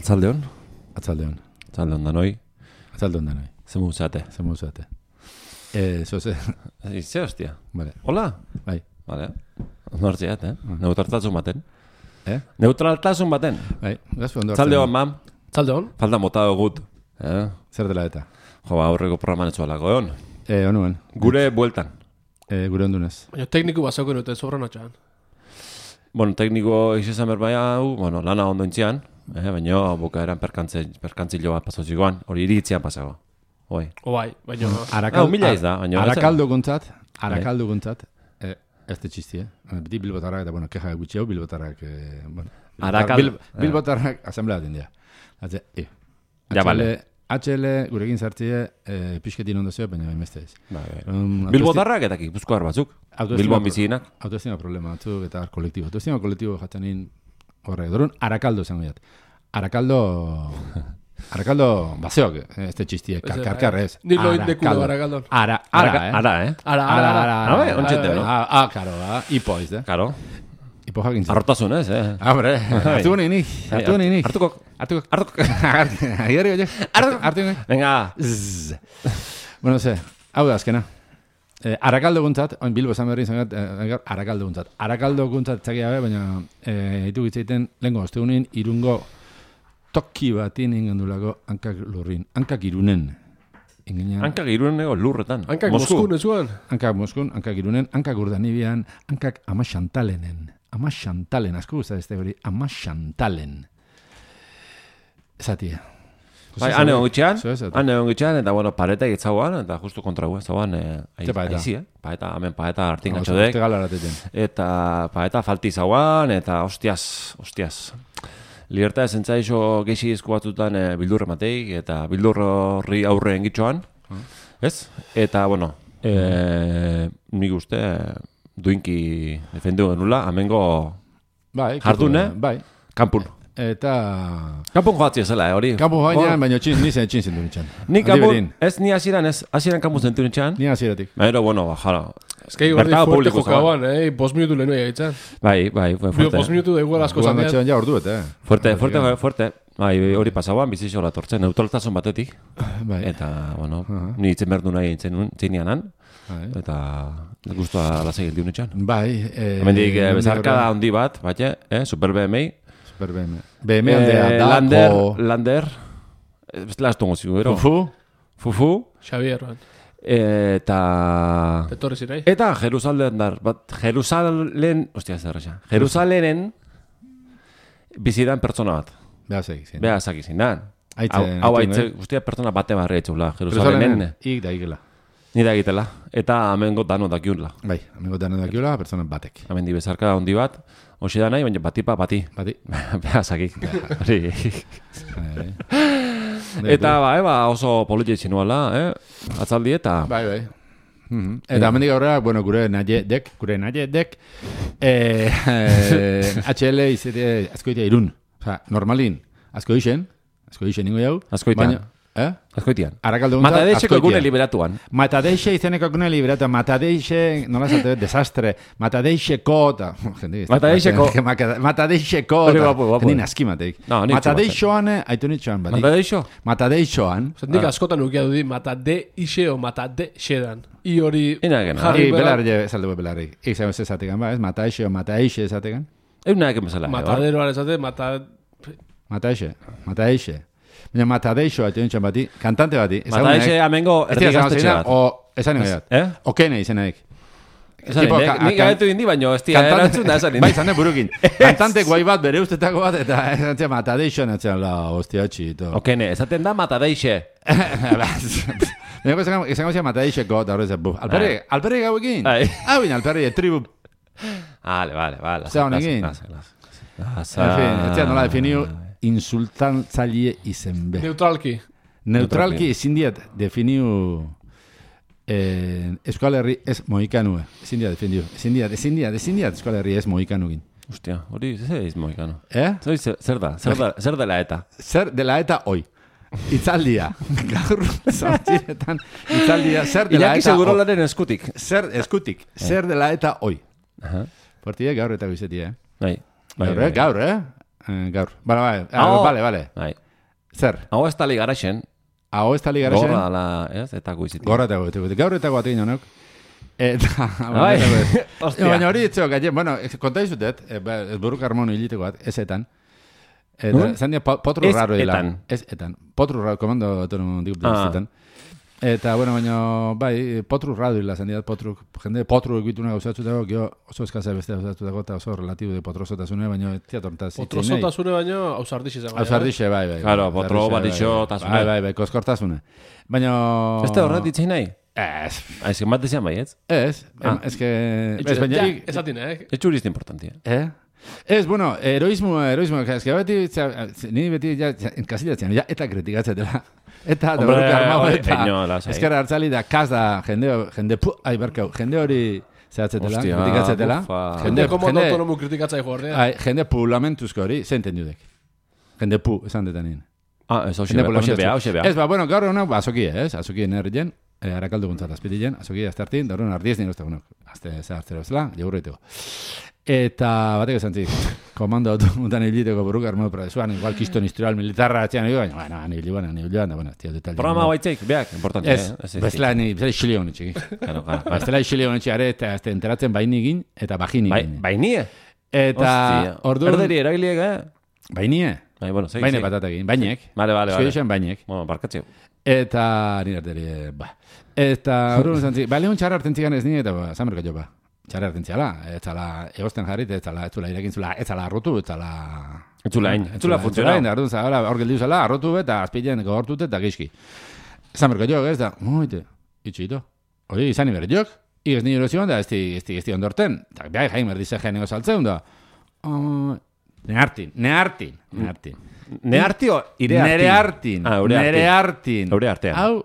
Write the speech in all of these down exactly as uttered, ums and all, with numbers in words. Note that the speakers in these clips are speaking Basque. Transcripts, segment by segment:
Atzaldeon. Atzaldeon. Atzaldeon danoi. Atzaldeon danoi. Zemu zate. Zemu zate. Eh, zoze. Ze hostia. Vale. Hola. Bai. Vale. Nortziat, eh? Neutraltasun baten. Eh? Neutraltasun baten. Bai. Gazpo ondo. Atzaldeon, mam. Atzaldeon. Falta mota gut. Eh? Zer dela eta? Jo, aurreko programan etzualako, egon. Eh, onuen. Gure bueltan. Eh, gure ondunez. Baina tekniku basako nuten sobran atxan. Bueno, tekniko izan berbaia hau, bueno, lana ondo intzian, eh, baina bukaeran perkantzilo bat pasotxikoan, hori iritzian pasago. Oi. Obai, baina... Arakal, mila iz da, baina... Arakaldo guntzat, arakaldo guntzat, eh, ez te txisti, eh? Beti bilbotarrak, eta bueno, keja gutxi hau, bilbotarrak, eh, bueno... Arakal... Bil, bilbotarrak asamblea dindia. Hatze, eh. Ja, vale. H L gurekin zartzie, eh, pixketin ondo zeo, baina emeste ez. Um, Bilbotarrak eta Gipuzkoar batzuk. Bilbon bizinak. Autoestima problema batzuk eta kolektibo. Autoestima kolektibo jatzanin horre. Dorun, Arakaldo zengo jat. Arakaldo... Arakaldo baseok, ez te txistie, karkar ez. Ni lo indekulo Arakaldo. Ara, ara, eh? Ara, eh? Ara, ara, ara. Ara, eh? Ontxete, no? Ah, karo, ah, ipo ez, eh? Karo. Ipo jakin zen. Arrotasun ez, eh? Hombre, hartu gani nik, hartu gani nik. Hartuko. Hartuko. Hartuko. Agarri, oie. Hartu gani. Venga. Bueno, ze, hau da azkena. Eh, Arakaldo guntzat, oin Bilbo esan berri izan eh, Arakaldo guntzat. Arakaldo guntzat txakia be, baina eh, hitu gitzeiten, lehenko ostegunin, irungo toki batin ingandulako hankak lurrin. Hankak irunen. Ingenia... Hankak irunen ego lurretan. Hankak Moskun ezuan. Hankak Moskun, hankak irunen, hankak urdanibian, hankak ama xantalenen. Ama xantalen, asko guztat ez hori, ama xantalen. Zatia. Bai, ane ongitxean, ane ongitxean, eta bueno, pareta egitzauan, eta justu kontra gu ez zauan, aizi, eh? Paeta, hemen paeta hartin gatxodek. Eta paeta falti zauan, eta hostiaz, hostiaz. Liberta esentza iso geixi izku batzutan e, bildurre mateik, eta bildurre horri aurre engitxoan, ez? Eta, bueno, e, nik uste duinki defendu genula, amengo bai, jardune, bai. Kampun. Eta... Kampun joatzia zela, eh, hori? Kampun joatzia, baina txin, nizen txin zentu nitxan. Ni kampun, ez ni hasieran ez, hasieran kampun zentu nitxan. Ni hasieratik. Pero, bueno, jala. Ez que gordi fuerte jokaban, eh? Bos minutu lehenu egiten. Bai, bai, fuerte. Bos minutu da igual asko zandean. Guan ja orduet, eh? Fuerte, fuerte, fuerte. Bai, hori pasauan, bizixo la tortzen, neutraltasun batetik. Bai. Eta, bueno, ni itzen berdu nahi intzeinianan. Eta guztua lasai gildi unitxan. Bai. Hemendik bezarkada handi bat, batxe, eh? Super B M I. Super B M I. B M I aldea, da, Lander, Lander. Ez la estongo zigu, ero? Fufu. Fufu. Xavier, bat. Eta... Etorri zirai. Eta Jerusalen dar, bat, Jerusalen, ostia zerreza, Jerusalenen bizidan pertsona bat. Beazak izin. Beazak izin, da. Hau haitze, ustia pertsona bate barri haitzeula, Jerusalenen. Ik da ikela. Ni da egitela. Eta amengo dano dakiunla. Bai, amengo dano dakiunla, pertsona batek. Amendi bezarka hondi bat, hoxe da nahi, baina batipa bati. Bati. Beazakik. Eta ba, eba, oso politia itxinuala, eh? Atzaldi eta... Bai, bai. Mm-hmm. Eta amendik aurrera, bueno, gure naie dek, gure naie dek, eh, eh, H L izete azkoitea irun. Osa, normalin, azko isen, azko isen ningo jau. Azkoitean. Eh? Azkoitean. Arakaldo guntzat, Matadeixeko egune liberatuan. Matadeixe izeneko egune liberatuan. Matadeixe, nola zate, desastre. Matadeixeko, eta... Matadeixeko. Matadeixeko, eta... Nin askimateik. Matadeixoan, haitu nitxoan, bati. Matadeixo? Matadeixoan. Nik askotan ukia dudi, matadeixe o matadeixedan. I hori... Ina egena. I belarri, zaldugu belarri. Ik zain ezategan, ba, ez? Matadeixe o matadeixe ezategan. Euna egen bezala. Mataderoan ezate, matad... Matadeixe, matadeixe. Baina Matadeixo haitu nintzen bati, kantante bati. Matadeixe amengo erdigaztetxe bat. O, esan nire bat. Eh? Okene izenaik. Esan nire, nik gabetu dindi, baina ez tia erantzun da esan nire. Bai, zane burukin. Kantante guai bat, bere ustetako bat, eta esan tia Matadeixo natzen, la, hostia txito. Okene, esaten da Matadeixe. Baina esan gozia Matadeixeko, eta horrez, buf. Alperri, alperri gau egin. Hau gin, alperri, tribu. Vale, vale, vale. Zer honekin. En fin, ez tia nola definiu insultantzaile izen be. Neutralki. Neutralki ezin diat definiu eh, Euskal Herri ez moikanue. Ezin diat definiu. Ezin diat, ezin diat, ezin diat Euskal Herri ez moikanukin. Hostia, hori zer ez moikanu. Eh? Zer da, zer da, zer dela eta? Zer dela eta hoi. Itzaldia. Gaur zortziretan itzaldia. Zer dela eta... Iñaki Segurolaren eskutik. Zer, eskutik. Zer dela eta hoi. Portia gaur eta bizetia, eh? Bai. Gaur, eh? Gaur, eh? eh, gaur. Bale, bale, ah, bale, bale. Bai. Zer? Hau ez tali garaxen. Hau ez tali garaxen. Gorra ala, ez? Eta guizitik. Gorra eta guizitik. Gaur eta guatik inonok. Eta... Bai, ostia. Baina hori etxeo, gaien, bueno, konta izutet, ez buruk harmonu hiliteko bat, ez etan. Eta, zan dia, potru raro dila. Ez etan. Potru raro, komando autonomo dikup da etan. Eta, bueno, baina, bai, potru raro dila, zan dia, potru, jende potru egituna gauzatutako, gio oso eskazea beste gauzatutako, eta oso relatibo de potrosotasune, baina teatortaz zitzen. Potrosotasune baina ausardixe zango. Ausardixe, bai, bai. Claro, potro batixo tasune. Bai, bai, bai, koskortasune. Baina... Este horret ditzen nahi? Ez. Ez que bat desean bai, ez? Ez, ez que... Ez, baina... Ez atine, eh? Ez txurista importantia. Eh? Ez, bueno, heroismo, heroismo, ez que beti, ni beti, ja, enkasilatzen, ja, eta kritikatzatela. Eta, da burruka armau, eta... Ezkerra hartzali da, kaz da, jende, jende, pu, ai, barkau, jende hori zehatzetela, kritikatzetela. Jende, komodo autonomu kritikatzai joarrea. Jende pulamentuzko hori, zenten dudek. Jende pu, esan detanien. Ah, ez hoxe bea, hoxe bea. Ez, ba, bueno, gaur honak, ba, azokie, ez? Azokie nerrien, arakaldu guntzat azpitilen, azokie aztertin, da horren ardiez nire uste, bueno, azte zehaztero bezala, jagurreiteko. Eta, batek esan zik, komando automutan hiliteko burruka armado prozesuan, igual kiston historial militarra atxean, bueno, bueno, ani biliban, ani biliban, da, bueno, tia detalde. Programa baitzeik, beak, importante, ez, eh? Bezala, ni, bezala xilio honetxik. Claro, claro. Bezala xilio honetxik, are, eta enteratzen baini egin, eta bajini egin. Bainie? Eta, orduan... Erderi erabiliek, eh? Bainie? Bai, bueno, segi, Baine patata egin, bainek. Vale, vale, vale. Zuio bainek. Bueno, barkatzeu. Eta, nire erderi, ba. Eta, orduan zantzik, ba, lehun txarra hartzen zigan ez nire, eta, ba, zamerka jo, ba. Txarra hartzen ziala, ez zala, egosten jarrit, ez zala, ez zula irekin zula, ez zala arrotu, ez zala... Ez zula hain, ez zula funtzionau. Orduan zala, hor geldiu zala, arrotu, eta azpilean gogortut, eta gizki. Zamerka jo, ez da, moite, itxito. Hori, izan iber jok, igez nire erozioan, da, ez di ondorten. Eta, behar, jaim, erdize geneko saltzeun, da. Nehartin, nehartin, nehartin. Neharti o irehartin? Nerehartin, nerehartin. Eure artean. Hau,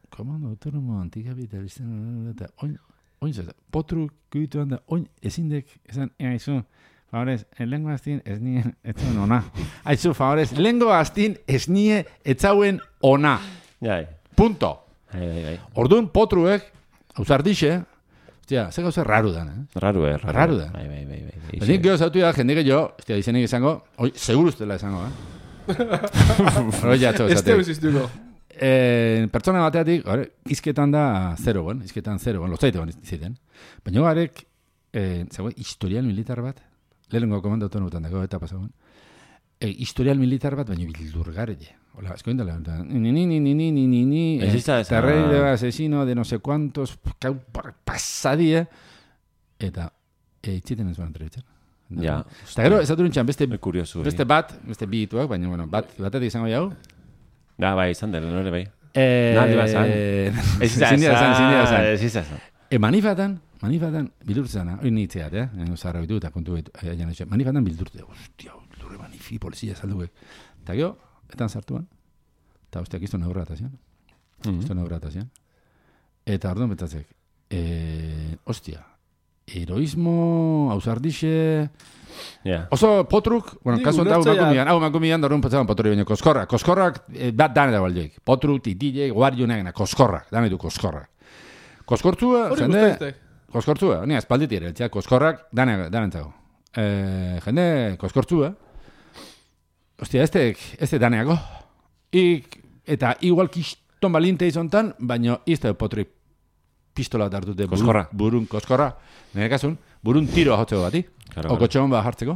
komando autonomo antikapitalisten, eta, oin, oin zeta, potru kuituan da, oin, ezindek, esan, ea, izu, favorez, lengo aztin, ez nien, ez zuen ona. Aizu, favorez, lengo aztin, ez nien, ez zauen ona. Jai. Punto. Jai, jai, jai. Orduan, potruek, hausardixe, hostia, ze gauza raru dan, eh? Raru, eh? Raru dan. Bai, bai, bai, bai. Benik geho zautu da, jende gehiago, hostia, izenik izango, oi, seguru ustela izango, eh? Hori jatxo, ez teo iziztuko. Eh, pertsona bateatik, gare, izketan da zero, bon, izketan zero, bon, lotzaite bon iziten. Baina garek, eh, zegoen, historial militar bat, lehenengo komando autonomutan dago, eta pasagoen, eh, historial militar bat, baina bildurgarele. Hola, eskoin dala, ni, ni, ni, ni, ni, ni, ni, ni, terrei de asesino de no sé cuantos, pasadie, eta, eh, itxiten ez ban entrebitzen. Ja. Eta gero, ez aturin txan, beste, beste bat, beste bi ituak, baina, bueno, bat, batetik izango jau. Da, bai, izan dela, nore bai. Eh, Naldi bat zan. Ez izan, ez izan. E manifatan, manifatan, bildurtzana, hori nitzeat, eh? Zarra bitu eta kontu betu, manifatan bildurtzea, ostia, lurre manifi, polizia salduek. Eta gero, etan sartuan, eta ostiak izto neurra atazian. Izto neurra atazian. Eta orduan betatzek, eh, ostia, heroismo, hausardixe... Yeah. Oso potruk, bueno, kasu enta hau makumian, hau makumian da horren potzaban potru baina koskorrak. Koskorrak, eh, bat dane da baldeik. Potru, titile, guardiunak, koskorrak, dane du koskorrak. Koskortzua, jende... Koskortzua, ni espalditi ere, txak, koskorrak, dane entzago. Eh, jende, koskortzua. Ostia, este, este daneago. Ik, eta igual kiston balinte izontan, baina izte potru pistola hartute burun, burun koskorra. Nire kasun, burun tiro ahotzeko bati. Claro, Oko txon bat hartzeko.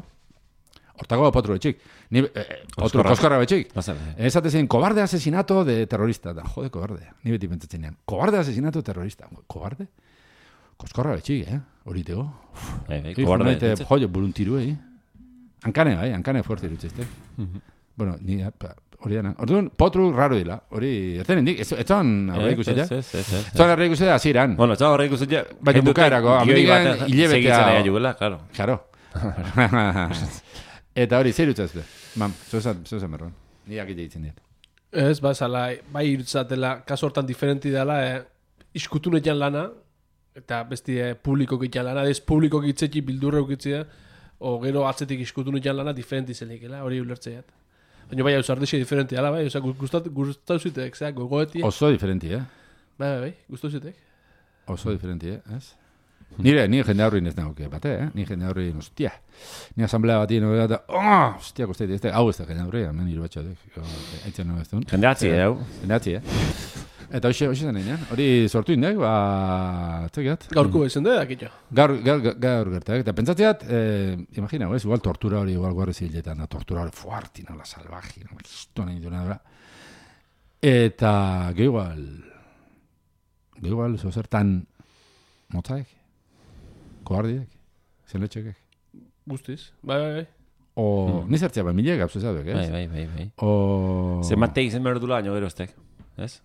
Hortako potru betxik. Ni, eh, potru koskorra betxik. Ez atezen, kobarde asesinato de terrorista. Da, jode, kobarde. Ni beti pentsatzen nean. Kobarde asesinato terrorista. Kobarde? Koskorra betxik, eh? Horiteko. Kobarde betxik. Joio, burun tiru, eh? Hankane, bai, hankane fuerte irutxezte. Bueno, ni... Hori dana. Orduan, potru raro dila. Hori, erten indik. Ez zon horre ikusia? Ez, ez, ez. Ez zon horre ikusia aziran. Bueno, ez zon horre ikusia. Baina bukaerako. Amerikan hilebetea. Segitzen ega jugela, claro. Claro. Eta hori, zer irutzazte? Mam, zoza merron. Ni akit ditzen diet. Ez, ba, zala, bai irutzatela, kaso hortan diferenti dela, eh, iskutun egian lana, eta besti eh, publikok egian lana, ez publikok itzetxi bildurre ukitzea, o gero atzetik iskutun egian lana, diferenti zelikela, hori ulertzeiat. Baina bai, ausardixe diferenti, ala bai, oza, gustau zuitek, zera, gogoetia. Oso diferenti, eh? Bai, bai, bai, gustau zuitek. Oso diferenti, eh, ez? Nire, nire jende aurrin ez nagoke, bate, eh? Nire jende aurrin, ostia. Nire asamblea bat ino, eta, oh, ostia, kosteit, ez da, hau ez da jende aurrin, hemen hiru batxo, eitzen nago ez duen. Jende atzi, eh? Jende atzi, eh? Eta hoxe, hoxe zen egin, hori sortu indek, ba, txekiat. Gaurko ezen da, dakitxo. Gaur, gaur, gaur gertak, eta pentsatzeat, eh, imagina, ez, igual tortura hori, igual guarri ziletan, da, tortura hori fuarti, nola, salvaji, nola, kistu nahi duna, dura. Eta, ge igual, ge igual, zozertan, motzaek, koardiek, zenletxekek. Guztiz, bai, bai, bai. O, mm. nizertzea, bai, milek, abzu zaudek, ez? Bai, bai, bai, bai. O... Zer matei zen berdula, baino gero estek, ez?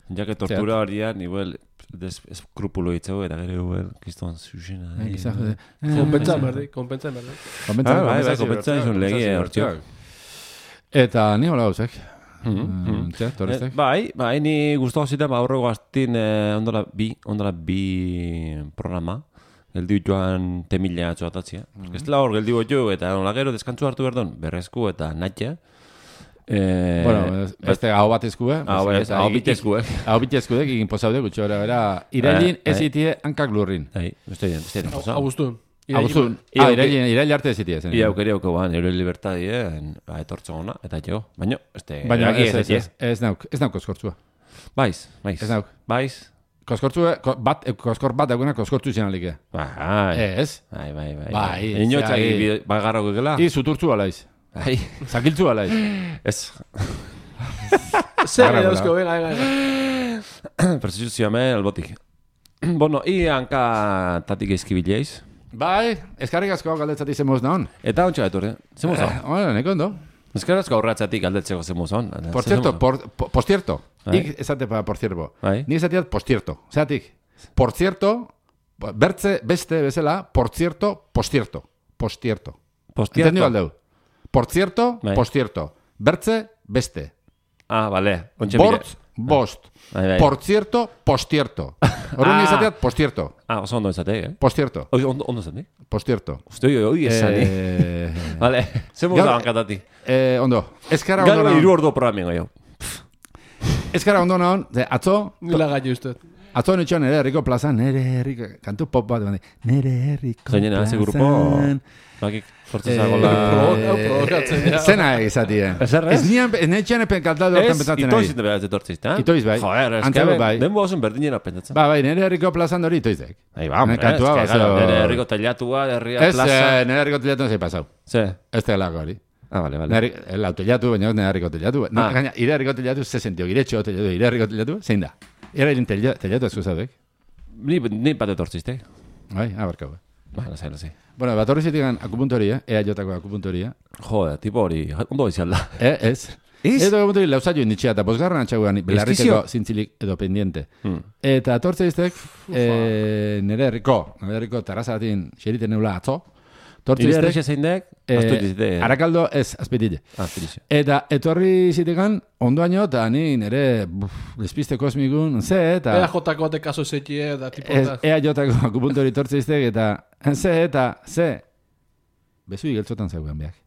Ja que tortura horria, nivel eskrupulo hitzeu, eta gero, igual, kiston zuzena. Konpentsa berdi, konpentsa berdi. Konpentsa berdi, konpentsa izun legie hortio. Eta ni hola gauzek. Bai, bai, ni guztu gauzita, ba, horrego aztin ondola bi, ondola bi programa, geldi joan temila atzoatatzia. Ez dela hor, geldi jo, eta nola gero deskantzu hartu berdon, berrezku eta natia. Eh, bueno, este hau bat eskue, hau bit eskue. Hau bit eskue, egin posaude gutxo era, era irailin ez itie hankak lurrin. Bai, beste bien, beste bien. Abuztun. Abuztun. Ah, irailin, irail arte ez itie zen. Ia aukeri auko ban, euro libertadie, ba, etortzo gona, eta jo. Baina, este... Baina, ez, ez, ez, ez nauk, ez nauk koskortzua. Baiz, baiz. Ez nauk. Baiz. Koskortzua, bat, koskor bat dagoena koskortzu izan alike. Bai. Ez? Bai, bai, bai. Bai. Inotzak bagarro gugela. I, suturtzu alaiz. Bai. Zakiltzu alaiz. Ez. Zer edauzko, venga, venga, venga. Persistuzioa me, albotik. Bueno, i hanka tatik eizkibileiz. Bai, eskarrik asko galdetzati zemoz naon. Eta ontsa gaitu, zemoz naon. Hola, neko ondo. Eskarrik asko aurratzatik galdetzeko zemoz naon. Por cierto, por, por, por cierto. Ik esate pa por cierto. Ni esateat por cierto. Zeatik, por cierto, bertze beste bezala, por cierto, por cierto. Por cierto. Entendido aldeu. Por cierto, bai. Por cierto. Bertze, beste. Ah, vale. Bortz, bost. Bai, bai. Por cierto, postierto. Horren ah. izateat, postierto. Ah, oso ondo izateak, eh? Postierto. Ondo, ondo izateak? Postierto. Uste, oi, oi, esan, eh? Vale, zer musa bankatati. Eh, ondo. Eskara ondo naon. Galo iru ordu programengo, jo. Eskara ondo naon, atzó... Nila gaitu uste. Atzo nitxo nere herriko plazan, nere herriko... Kantu pop bat, nere herriko plazan... Zainena, ze grupo... Bakik, fortzezago la... Zena egizatien. Ez nian, ez netxean epen kantatu hortan pentsatzen nahi. Ez, itoiz ite behar zetortziz, ta? Itoiz bai. Joder, ez que denbo osun berdinera pentsatzen. Ba, bai, nere herriko plazan hori itoiz dek. Ai, ba, hombre, ez que nere herriko telatua, herria plaza... Ez, nere herriko telatua zei pasau. Ze? Ez tegelako hori. Ah, vale, vale. El autollatu, baina nere herriko telatu. Gaina, ire herriko telatu, ze sentio, giretxo telatu, ire herriko telatu, zein da? Ire herriko telatu esku zaudek. Ni, ni bat etortzizte. Bai, abarkau. Ba, lasai, lasai. Bueno, bat horri zitigan akupuntoria, ea jotako akupuntoria. Joder, tipo hori, ondo izialda. Eh, ez. Ez? Edo akupuntoria lauzaio inditxea, eta bosgarran atxaguan, belarriteko zintzilik edo pendiente. Hmm. Eta tortze iztek, eh, nere herriko, nere herriko terrazatin xeriten neula atzo. Ire herrixe zein dek, eh, Arakaldo ez, azpitile. Azpitile. Eta etorri zitegan, ondoaino, eta ni nire despiste kosmikun, ze, eta... Ea jotako bate kaso zetie, da tipota. Ea jotako akupuntori tortze iztek, eta ze, eta ze. Bezu igeltzotan zaugan behak.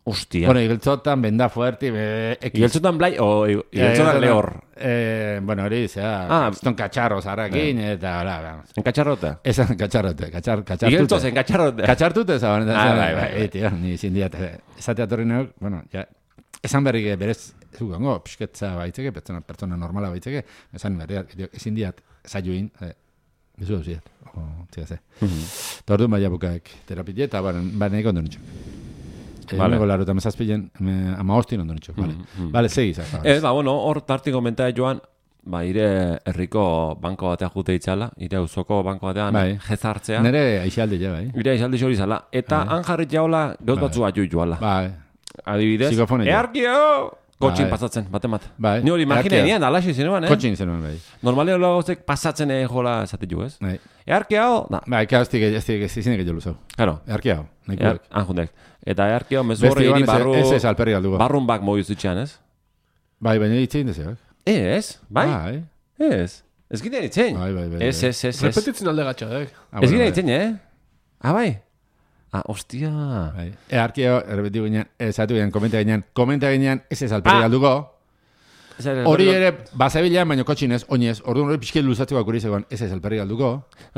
Hostia. Bueno, igeltzotan, benda fuerti, be... Igeltzotan blai, o igeltzotan lehor? Eh, bueno, hori, zera, ah, eston katxarro zarakin, eh. eta, bla, bla. En katxarrota? Ez, en katxarrote, katxar, katxartute. Igeltzoz, en katxarrote. Katxartute, zaban. Ah, bai, bai, bai. Tio, ni zindiat, esatea torri nauk, bueno, ja, esan berrik berez, zugango, pisketza baitzeke, pertsona, pertsona normala baitzeke, esan berriak, ezin diat, zaioin, eh, bezu hau ziat, o, zia ze. Tordu maia bukaek terapia, eta baren, baren egon duen Vale. Ego laro, eta mezazpilen, ama hostin ondo nitxo. Vale, mm -hmm. vale segi zak. Ez, ba, bueno, hor tartik komentai joan, ba, ire herriko banko batea jute itzala, ire auzoko banko batean bai. Jezartzea. Nere aixalde ja, bai. Ire aixalde xori zala. Eta bai. Han jarrit jaola, gauz batzu bat jui joala. Bai. Adibidez, earkio! Kotxin bai. Pasatzen, batemat. Bai. Ni hori imagine nien, alaxi zenuen, eh? Kotxin zenuen, bai. Normalia hola gozek pasatzen egin jola esatik ju, ez? Bai. Earkiao? Da. Bai, eka hostik, hostik, ez zinek jolu zau. Claro. Earkiao. Er, Anjundek. Eta earkiao, mezu horre hiri barru... Ez ez alperri galdugu. Barrun bak mogiz itxean, ez? Bai, baina itzein dezeak. Ez, bai? Bai. Ez. Ez ginen itzein. Bai, bai, bai. Ez, ez, ez. Repetitzen alde gatxadek. Ez ginen itzein, eh? Ah, bai. Ah, hostia. Bai. Earkiao, errepetiu ginean, ez atu ginean, komenta ginean, komenta ginean, ez ez alperri galdugu. Hori ere, bazabila, baina kotxinez, oinez, orduan hori pixkel luzatzeko akuri zegoen, ez ez elperri galduko.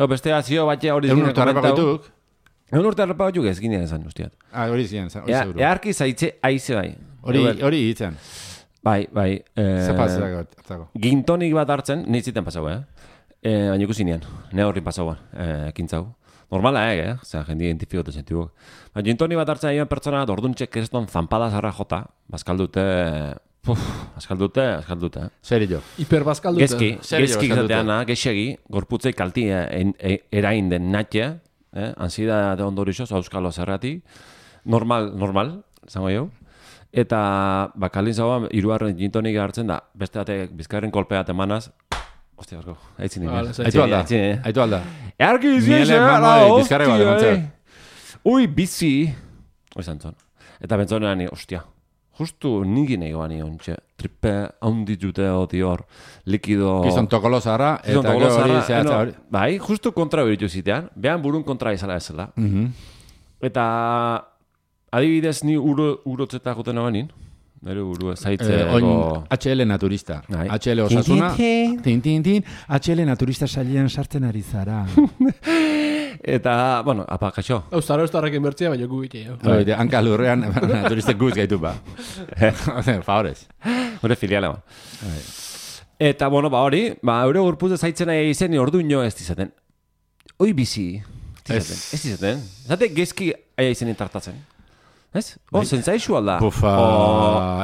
Beste azio batia hori zinen komentau. Egun urte arrapa batzuk ez ginean esan, ustiat. Ah, hori zinean esan, hori seguro. Earki zaitze aize bai. Hori hitzen. Bai, bai. Zepazak. Gintonik bat hartzen, nintziten pasau, eh? Baina ikusi nian, ne horrin pasauan, ekintzau. Normala ege, eh? Zer, jendi identifikatu zentibuk. Baina gintonik bat hartzen aion pertsona, orduntxek kriston zampada zarra jota, bazkaldute... Puf, azkaldute, azkaldute. Zer jo? Hiper bazkaldute. Gezki, gezki izateana, gexegi, gorputzei kalti erain den natxe, eh? Ansieda de ondorixoz, auskalo zerrati. Normal, normal, zango jau. Eta, bakalin zagoa, iruarren gintonik hartzen da, beste batek bizkarren kolpea temanaz, Ostia, barko, haitzin nire. Aitu alda, aitu alda. Earki izien, ala, ostia, ui, bizi. Oi zantzon. Eta bentzonean, ostia, justu nigin egoan ion, txe, tripe haunditute oti hor, likido... Gizon tokolo zara, eta gero hori zehatza hori. Bai, justu kontra beritu zitean, behan burun kontra izala ezela. Eta, adibidez, ni urotzeta juten abanin, Nere buru zaitze eh, ego... H L naturista. Ai. H L osasuna. Tin, tin, tin. H L naturista salian sartzen ari zara. Eta, bueno, apa, kaixo. Hau, zara ustarrak inbertzea, baina gu bitxe. Oide, hanka lurrean naturistek guz gaitu ba. Favorez. Hore filiala ba. Eta, bueno, ba hori, ba, eure gurpuz zaitzen nahi izen, ordu ino ez dizaten. Oi bizi. Ez dizaten. Zate gezki aia izen intartatzen. Ez? Oh, zentzaixu alda. Bufa.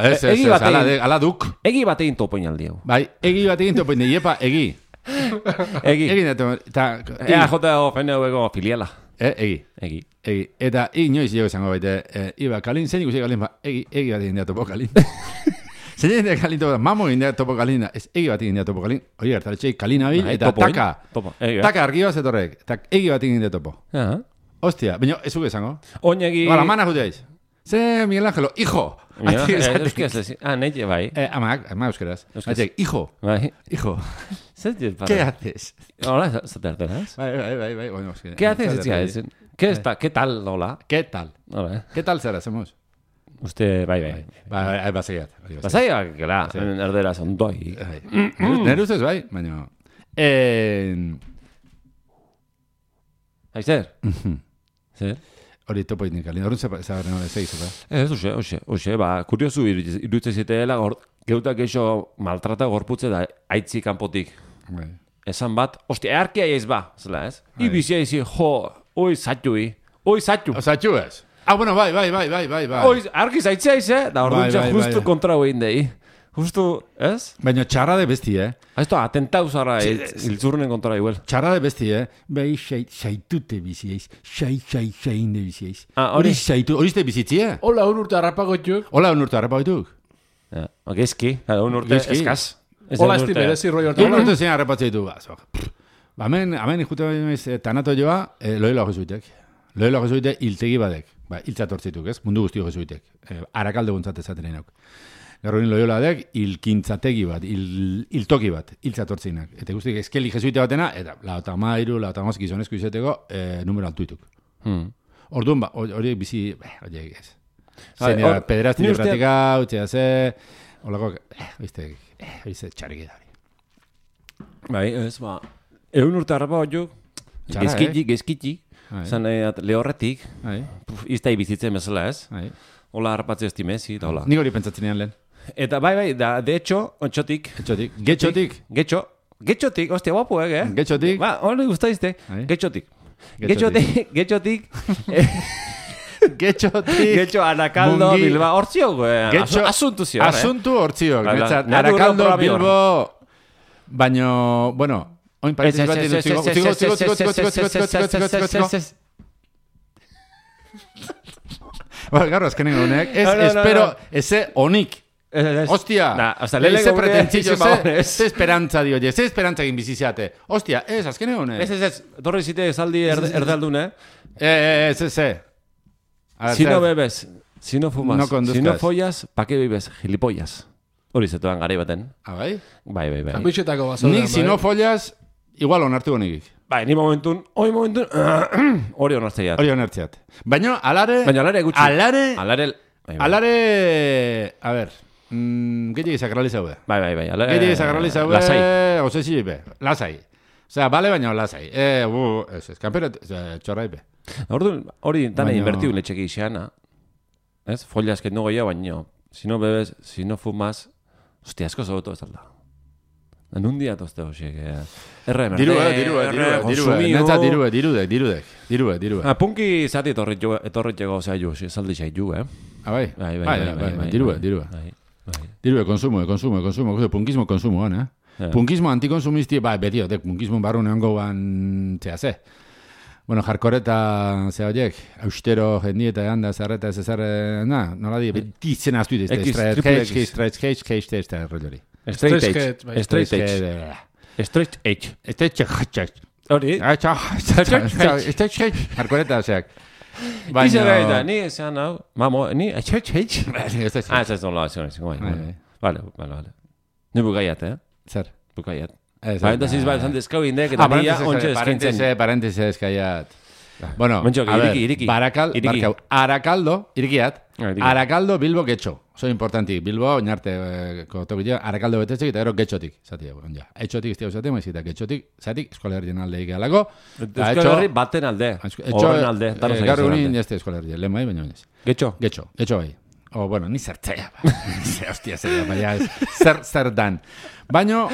Ez, ez, ez, ala duk. Egi bat egin topoin aldi hau. Bai, egi bat egin topoin, iepa, egi. Egi. Egi neto, eta... Ea, jota ofene huego filiala. Eh, egi. Egi. Egi. Eta, inoiz jo esango baite, iba, kalin, zein ikusi kalin, ba, egi, egi bat egin dea topo kalin. Zein egin dea kalin topo, mamo egin dea topo kalin, ez egi bat egin dea topo kalin. Oi, hartaletxei, kalin abil, eta taka. Taka argi bat zetorrek, eta egi bat egin dea topo. Hostia, baina, ez uke esango. Oinegi... Bara, mana juteaiz. Ze, Miguel Ángelo, hijo. Ah, neite, bai. Eh, amak, amak euskeraz. Atek, hijo. Bai. Hijo. ¿Qué haces? Hola, ¿se ¿verdad? Bai, bai, bai, bai. Bueno, ¿Qué haces? ¿Qué está? ¿Qué tal, hola? ¿Qué tal? Hola. ¿Qué tal será, hacemos? Usted, bai, bai. Bai, basaiat. Basaiat, gara, erdera sondoi. Nere ustez, bai, baina... Aizer? Zer? Hori topo itnik, alin, horren zabarren hori zeizu, ba? Ez, oxe, oxe, oxe, ba, kuriosu iruditzen ziteela, geutak eixo maltrata gorputze da, aitzi kanpotik. Esan bat, ostia, earkia eiz ba, zela ez? Ibizia izi, jo, oi zatxui, oi zatxu. O zatxu ez? Ah, bueno, bai, bai, bai, bai, bai, bai. Oi, arki zaitzea iz, eh? Da, hor dutxa, justu kontra hoin dei. Justu, ez? Baina txarra de besti, eh? Esto, atentau zara, iltzurren kontra igual. Txarra de besti, eh? Bai, xaitute bizieiz. Xai, xai, xain de bizieiz. Hori xaitu, hori zte bizitzie? Hola, un urte harrapagoituk. Hola, un urte harrapagoituk. Ja, gezki, un urte eskaz. Hola, esti merezi roi hortu. Un urte zein harrapatzeitu, ba, zo. Ba, hemen, hemen ikute tanato joa, loela jesuitek. Loela jesuitek iltegi badek. Ba, iltzatortzituk, ez? Mundu guztio jesuitek. Arakalde guntzat ezaten enok. Garroin loioladek, ilkintzategi bat, il, iltoki bat, iltzatortzinak. Eta guztik, eskeli jesuite batena, eta lauta mairu, lauta maz gizonezko izeteko, e, numero altuituk. Hmm. Orduan, ba, hori bizi, hori ez. Zein dira, pederazti pratika, utxea ze, holako, eh, oizte, eh, oizte, txarrik edari. Bai, ez, ba, egun urte harrapa bat jo, gezkitxik, gezkitxik, zan lehorretik, iztai bizitzen bezala ez. Hola, harrapatzea estimezi, eta hola. Nik hori pentsatzen ean lehen. Eta bai, bai, da, de hecho, ontxotik. Ontxotik. Getxotik. Getxo. Getxotik, hostia, guapo, eh? Getxotik. Ba, hori guztaizte. Getxotik. Getxotik. Getxotik. Getxotik. Getxo, Anakaldo, Bilba. Hortzio, eh? Asuntu zio, eh? Asuntu hortzio. Anakaldo, Bilbo. Baina, bueno, oin pareziz bat ditu. Zigo, zigo, zigo, zigo, zigo, zigo, zigo, zigo, zigo, zigo, zigo, Bueno, garro, azkenen honek, ez, espero, eze onik. Hostia, eze pretentzio, ze esperantza dio, ze esperantza egin biziziate. Hostia, ez, azkenen honek. Ez, ez, ez, torre zite esaldi erdaldun, eh? Ez, ez, ez. Si no bebes, si no fumas, si no follas, pa que bebes, gilipollas. Hori zetuan gari baten. Ah, bai? Bai, bai, bai. Kapitxetako basoan. Nik, si no follas, igual onartu honik. Bai, ni momentun, hori momentun, hori onartzeiat. Hori onartzeiat. Baina, alare... Baina alare gutxi. Alare... Alare... Alare... A ver... mm, gehiagik sakralizaue. Bai, bai, bai. Gehiagik sakralizaue, lasai. Osesi be, lasai. Osea, bale baina lasai. Eh, bu, ez, ez, kanpero, txorrai be. Hori, tane invertiu letxeki iseana. Ez, folias que no goia baino. Si no bebes, si no fumas, hostia, asko zogoto ez alda. En un día toste hoxe, que... R M D, dirue, dirue, dirue, dirue, netza dirue, dirudek, dirudek, dirue, dirue. Ah, punki zati etorretxego zaiu, zaldi zaiu, eh? Ah, bai? Bai, bai, bai, dirue, dirue. Dirue, konsumo, konsumo, konsumo, punkismo, konsumoan, eh? Punkismo antikonsumisti, bai, beti, punkismo barru neongo ban, zea ze. Bueno, jarkore eta zea horiek, austero jendieta egan da zerreta ez ezarre, na, nola di, beti izena aztu idizte, stretch edge, stretch edge, stretch edge, eta errolori. Straight edge, straight edge, straight edge, straight edge, hori? Straight edge, jarkore eta zeak. Ize gaita, ni esan hau, mamo, ni, straight edge? Ah, ez ez nola, ez ez nola, vale, vale, vale. Ni bukaiat, eh? Zer? Bukaiat. Parentesis bat esan dezkau indek, eta nila ontsa eskintzen. Parentese eskaiat. Bueno, a ver, Barakal, Barkau, Arakaldo, irikiat, Arakaldo Bilbo getxo. Oso importanti, Bilbo, oinarte, kotokillo, Arakaldo betetzek eta gero getxotik. Zati, ja. Etxotik izteo zaten, maizita, getxotik, zatik, eskolerrien alde ikalako. Eskolerri baten alde, horren alde. Gaur egunin, jazte eskolerrien, lehen bai, baina oinez. Getxo? Getxo, getxo bai. O, bueno, ni zertzea, ba. Hostia, zer, baina zer, zer dan. Baina,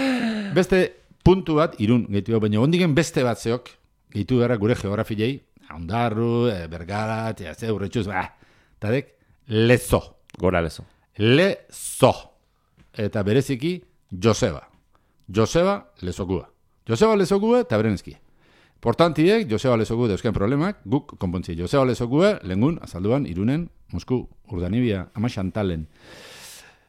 beste puntu bat, irun, gehitu, baina ondigen beste bat zeok, gehitu gara gure geografilei, Ondarru, Bergara, ze, urretxuz, ba, tadek, Lezo. Gora Lezo. Lezo. Eta bereziki, Joseba. Joseba Lezokua. Joseba Lezokua eta berenezki. Portantiek, Joseba Lezokua dauzken problemak, guk konpontzi. Joseba Lezokua, lengun, azalduan, Irunen, Mosku, Urdanibia, Ama Xantalen,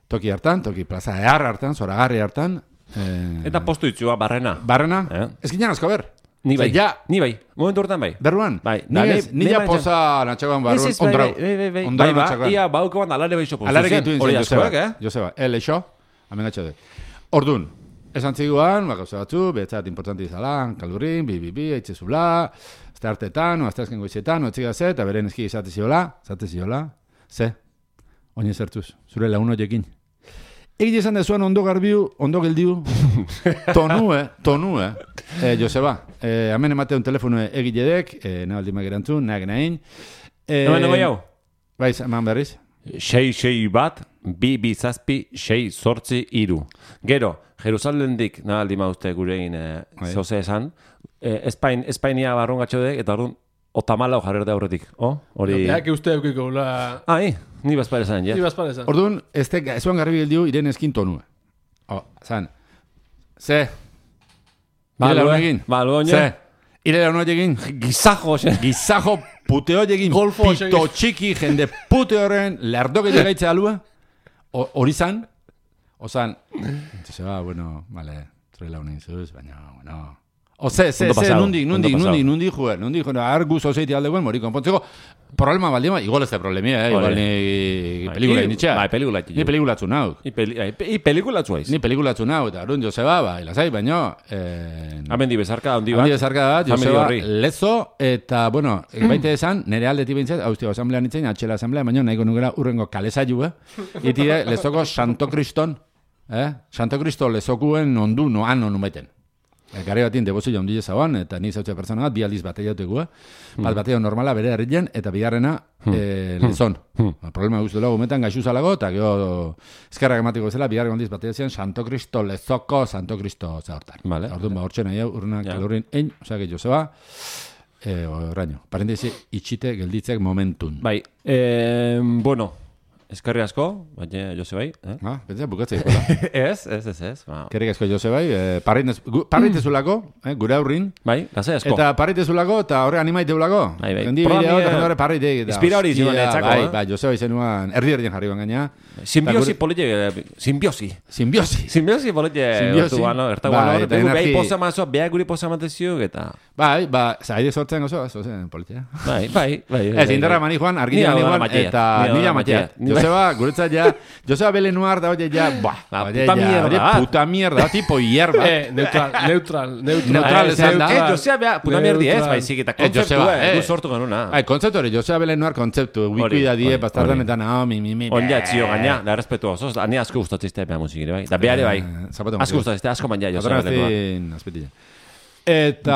toki hartan, toki plaza ehar hartan, zoragarri hartan. Eh, eta postu ditzua, barrena. Barrena? Eh? Ez ginen asko ber. Ni bai, ja, ni bai, momentu hortan bai. Berruan? Bai. Ni ja posa natxagoan barruan, ondrau. Bai, bai, bai. Bai, ba, ia bauko ban alare behixo postu. Alare gehitu inzen, Joseba, eh? Joseba, el eixo, amenatxo de. Ordun, esan ziguan, bakauza batzu, behetzat importanti izalan, kaldurin, bi, bi, bi, eitzezula, azte hartetan, o azte azken goizetan, o etxik ze, eta beren eski izate ziola, izate ziola, ze, oin ezertuz, zure laun horiekin. Egi esan dezuan ondo garbiu, ondo geldiu, tonue, tonue, eh, Joseba, eh, hemen emate un telefonu egiledek, eh, nabaldi magerantzun, nahi nahin. Eh, Hemen nago jau? Bai, eman berriz. Sei, sei bat, bi, bi, zazpi, sei, zortzi, iru. Gero, Jerusalendik nabaldi mauzte gurein eh, zoze esan, eh, Espain, Espainia barrun gatxodek, eta orduan, otamala jarrerde aurretik, oh? Hori... Ja, que uste eukiko, la... Ah, hi, ni bazpare zan, ja. Ni bazpare zan. Orduan, ez zuan garbi gildiu, iren eskin tonue. Oh, zan. Ze. Ire laun egin. Balgo, Ze. Ire laun egin. Gizajo, xe. Gizajo puteo egin. Pito txiki, jende pute horren, lerdoke llegaitze alua. Hori zan. O zan. Se va, bueno, vale, tre laun egin zuz, baina, bueno... O ze, ze, ze, nundik, nundik, nundik, nundik, jue, nundik, jue, argu zozeiti alde guen, mori konpontzeko, problema baldima, igual ez da problemia, eh, igual ni pelikula initxea. Bai, pelikula initxea. Ni pelikulatzu nau. I pelikulatzu haiz. Ni pelikulatzu nau, eta arun Joseba, ba, ilazai, baino... Hamendi bezarka, ondi bat. Hamendi bezarka bat, Joseba, Lezo, eta, bueno, baite esan, nire aldetik bintzat, hauztio asamblean itzen, atxela asamblean, baino, nahiko nukera urrengo kalezaiu, eh? Itire, Lezoko Santo Kriston, eh? Santo Kristo Lezokuen ondu noan onu meten. Gare batien debozu jaundile zauan, eta ni zautzea persona bat, bi aldiz batea jauteko, eh? Bat batea normala bere herrien, eta bigarrena eh, lezon. Problema guztu dago, metan gaixu zalago, eta gero eskerrak ematiko zela, bigarren aldiz batea zian, Santo Cristo Lezoko, Santo Cristo zahortan. Vale. Orduan, ba, hortzen nahi hau, urrenak ja. Kalorrin ein, osea, que Joseba, eh, oraino. Parentesi, itxite gelditzek momentun. Bai, eh, bueno, eskerri asko, baina Josebai, eh? Ah, pentsa bukatzea ikola. Ez, ez, ez, ez. Kerrik asko Josebai, eh, parritezulako, eh, gure aurrin. Bai, gazai asko. Eta parritezulako, eta horre animaiteulako. Bai, bai. Gendi bideo, eta jendore parritek. Inspira hori zinuan etzako, eh? Bai, bai, Josebai zenuan, erdi erdien jarri gaina. Simbiosi polite, simbiosi. Simbiosi. Simbiosi polite, ertu guano, ertu guano. Eta behi posa mazo, beha guri posa matezio, eta... Bai, ba, zaide sortzen gozo, zozen politea. Bai, bai, bai. Ez, indarra mani joan, argina mani joan, eta nila matea. Joseba, guretzat ja, Joseba Belenuar da, oye, ja, buah, puta mierda, puta mierda, tipo hierba. Eh, neutral, neutral, neutral. Neutral, esan da. Eh, Joseba, puta mierdi ez, baizik, eta kontzeptu, eh, du sortu genuna. Ai, kontzeptu hori, Joseba Belenuar kontzeptu, wikida die, bastardan eta nao, mi, mi, mi. Ondia, txio, gaina, da respetu oso, ani asko gustatzizte epea musikire, bai. Da beare, bai. Asko gustatzizte, asko mandia, Joseba Belenuar. Eta...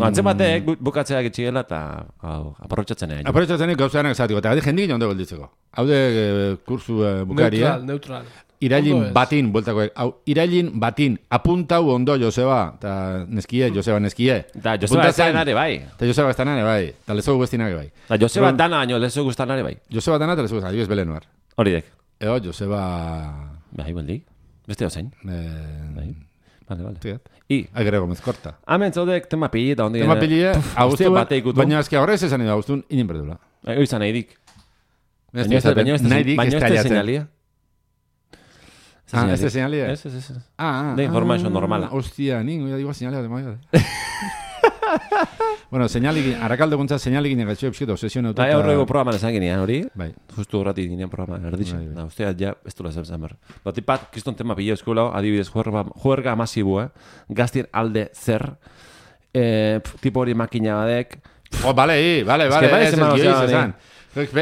Antzen batek bukatzea gitxigela eta aparrotxatzen egin. Aparrotxatzen egin gauzaren esatiko. Eta jendik jondo golditzeko. Haude kursu bukaria. Neutral, neutral. Irailin batin, bueltako. Irailin batin, apuntau ondo Joseba. Eta neskie, Joseba neskie. Eta Joseba estanare bai. Eta Joseba estanare bai. Eta lezo guztinare bai. Eta Joseba dana baino lezo guztanare bai. Joseba dana eta lezo guztanare. Adibes Belenuar. Hori dek. Eo, Joseba... Bai, baldik. Beste dozain. Bai. Vale, vale. Tiat. I. Agrego mezkorta. Hemen zaudek tema pili eta ondi. Tema pili, Agustun, baina ezki horrez esan edo, Agustun, inin berdula. Ego izan nahi dik. Baina ez da señalia. Ah, ez da señalia? Ez, ez, ez. Ah, de información normala. Hostia, ningu, ya digo señalia de maia. Bueno, señalik, arakaldo guntza señalik inegazio epskito, obsesio neutra. Bai, horrego programa nesan ginean, hori? Bai. Justu horrati ginean programa, erditzen. Na, usteat ja, ez dula zer zer. Bati pat, kiston tema pilo eskulau, adibidez, juerga, juerga masibu, eh? Gaztien alde zer, eh, tipo hori makina badek. Oh, bale, i, bale, bale, ez ez ez esan.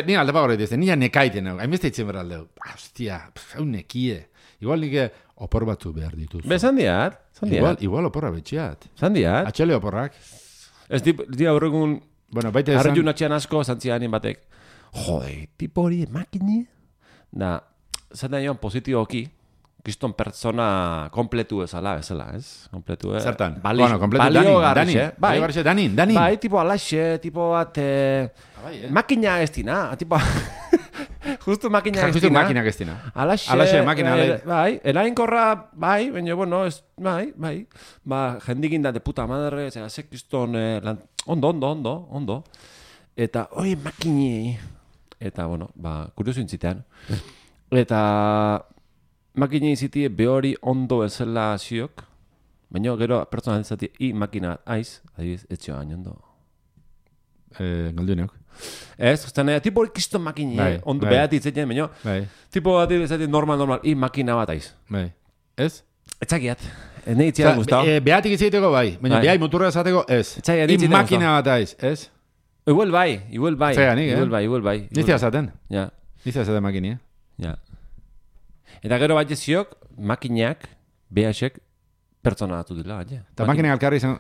Ni alde pago ditzen, nila nekaiten hau, hainbeste itzen behar aldeu. Hostia, hau nekie. Igual nike opor batzu behar dituzu. Be, zandiat, zandiat. Igual, igual oporra betxeat. Zandiat. Atxele oporrak. Ez di aurregun, bueno, baita esan... arretu natxean asko, zantzian batek. Jode, tipo hori makini. Da, zaten joan positioki, kiston pertsona kompletu ezala, ezala, ez? Kompletu, eh? Zertan? Bali, bueno, kompletu, balio Danin, garrixe, Danin, bai, garrixe, Danin, Danin. Bai, tipo alaxe, tipo bat, eh, bai, eh? makina ez dina, tipo... Justo makina ez Justo dina. makina ez dina. Alaxe, Alaxe, makina, eh, bai, erainkorra, bai, baina, bueno, ez, bai, bai, ba, jendikin da de puta madre, zera, sekiston, eh, lan, ondo, ondo, ondo, ondo, eta, oi, makini, eta, bueno, ba, kuriosu intzitean, eta, makini izitie behori ondo ezela ziok, baina gero pertsona ditzati, i makina aiz, adibiz, etxio hain ondo. Eh, galduineok. Ez, ustean, tipo hori kiston makini, bai, ondo bai. behat itzetzen, baina, bai. tipo bat izaten normal, normal, i makina bat aiz. Bai. Ez? Etzakiat, ne itziat guztau. E, behatik izateko bai, baina behai muturra esateko ez. Etzakiat I makina bat aiz, ez? Igual bai, igual bai. Zega nik, eh? Igual bai, igual bai. Niztia zaten? Ja. Niztia zaten makinia? Ja. Eta gero bat jeziok, makinak, behasek, pertsona datu dila, baina. Eta makinak alkarri izan...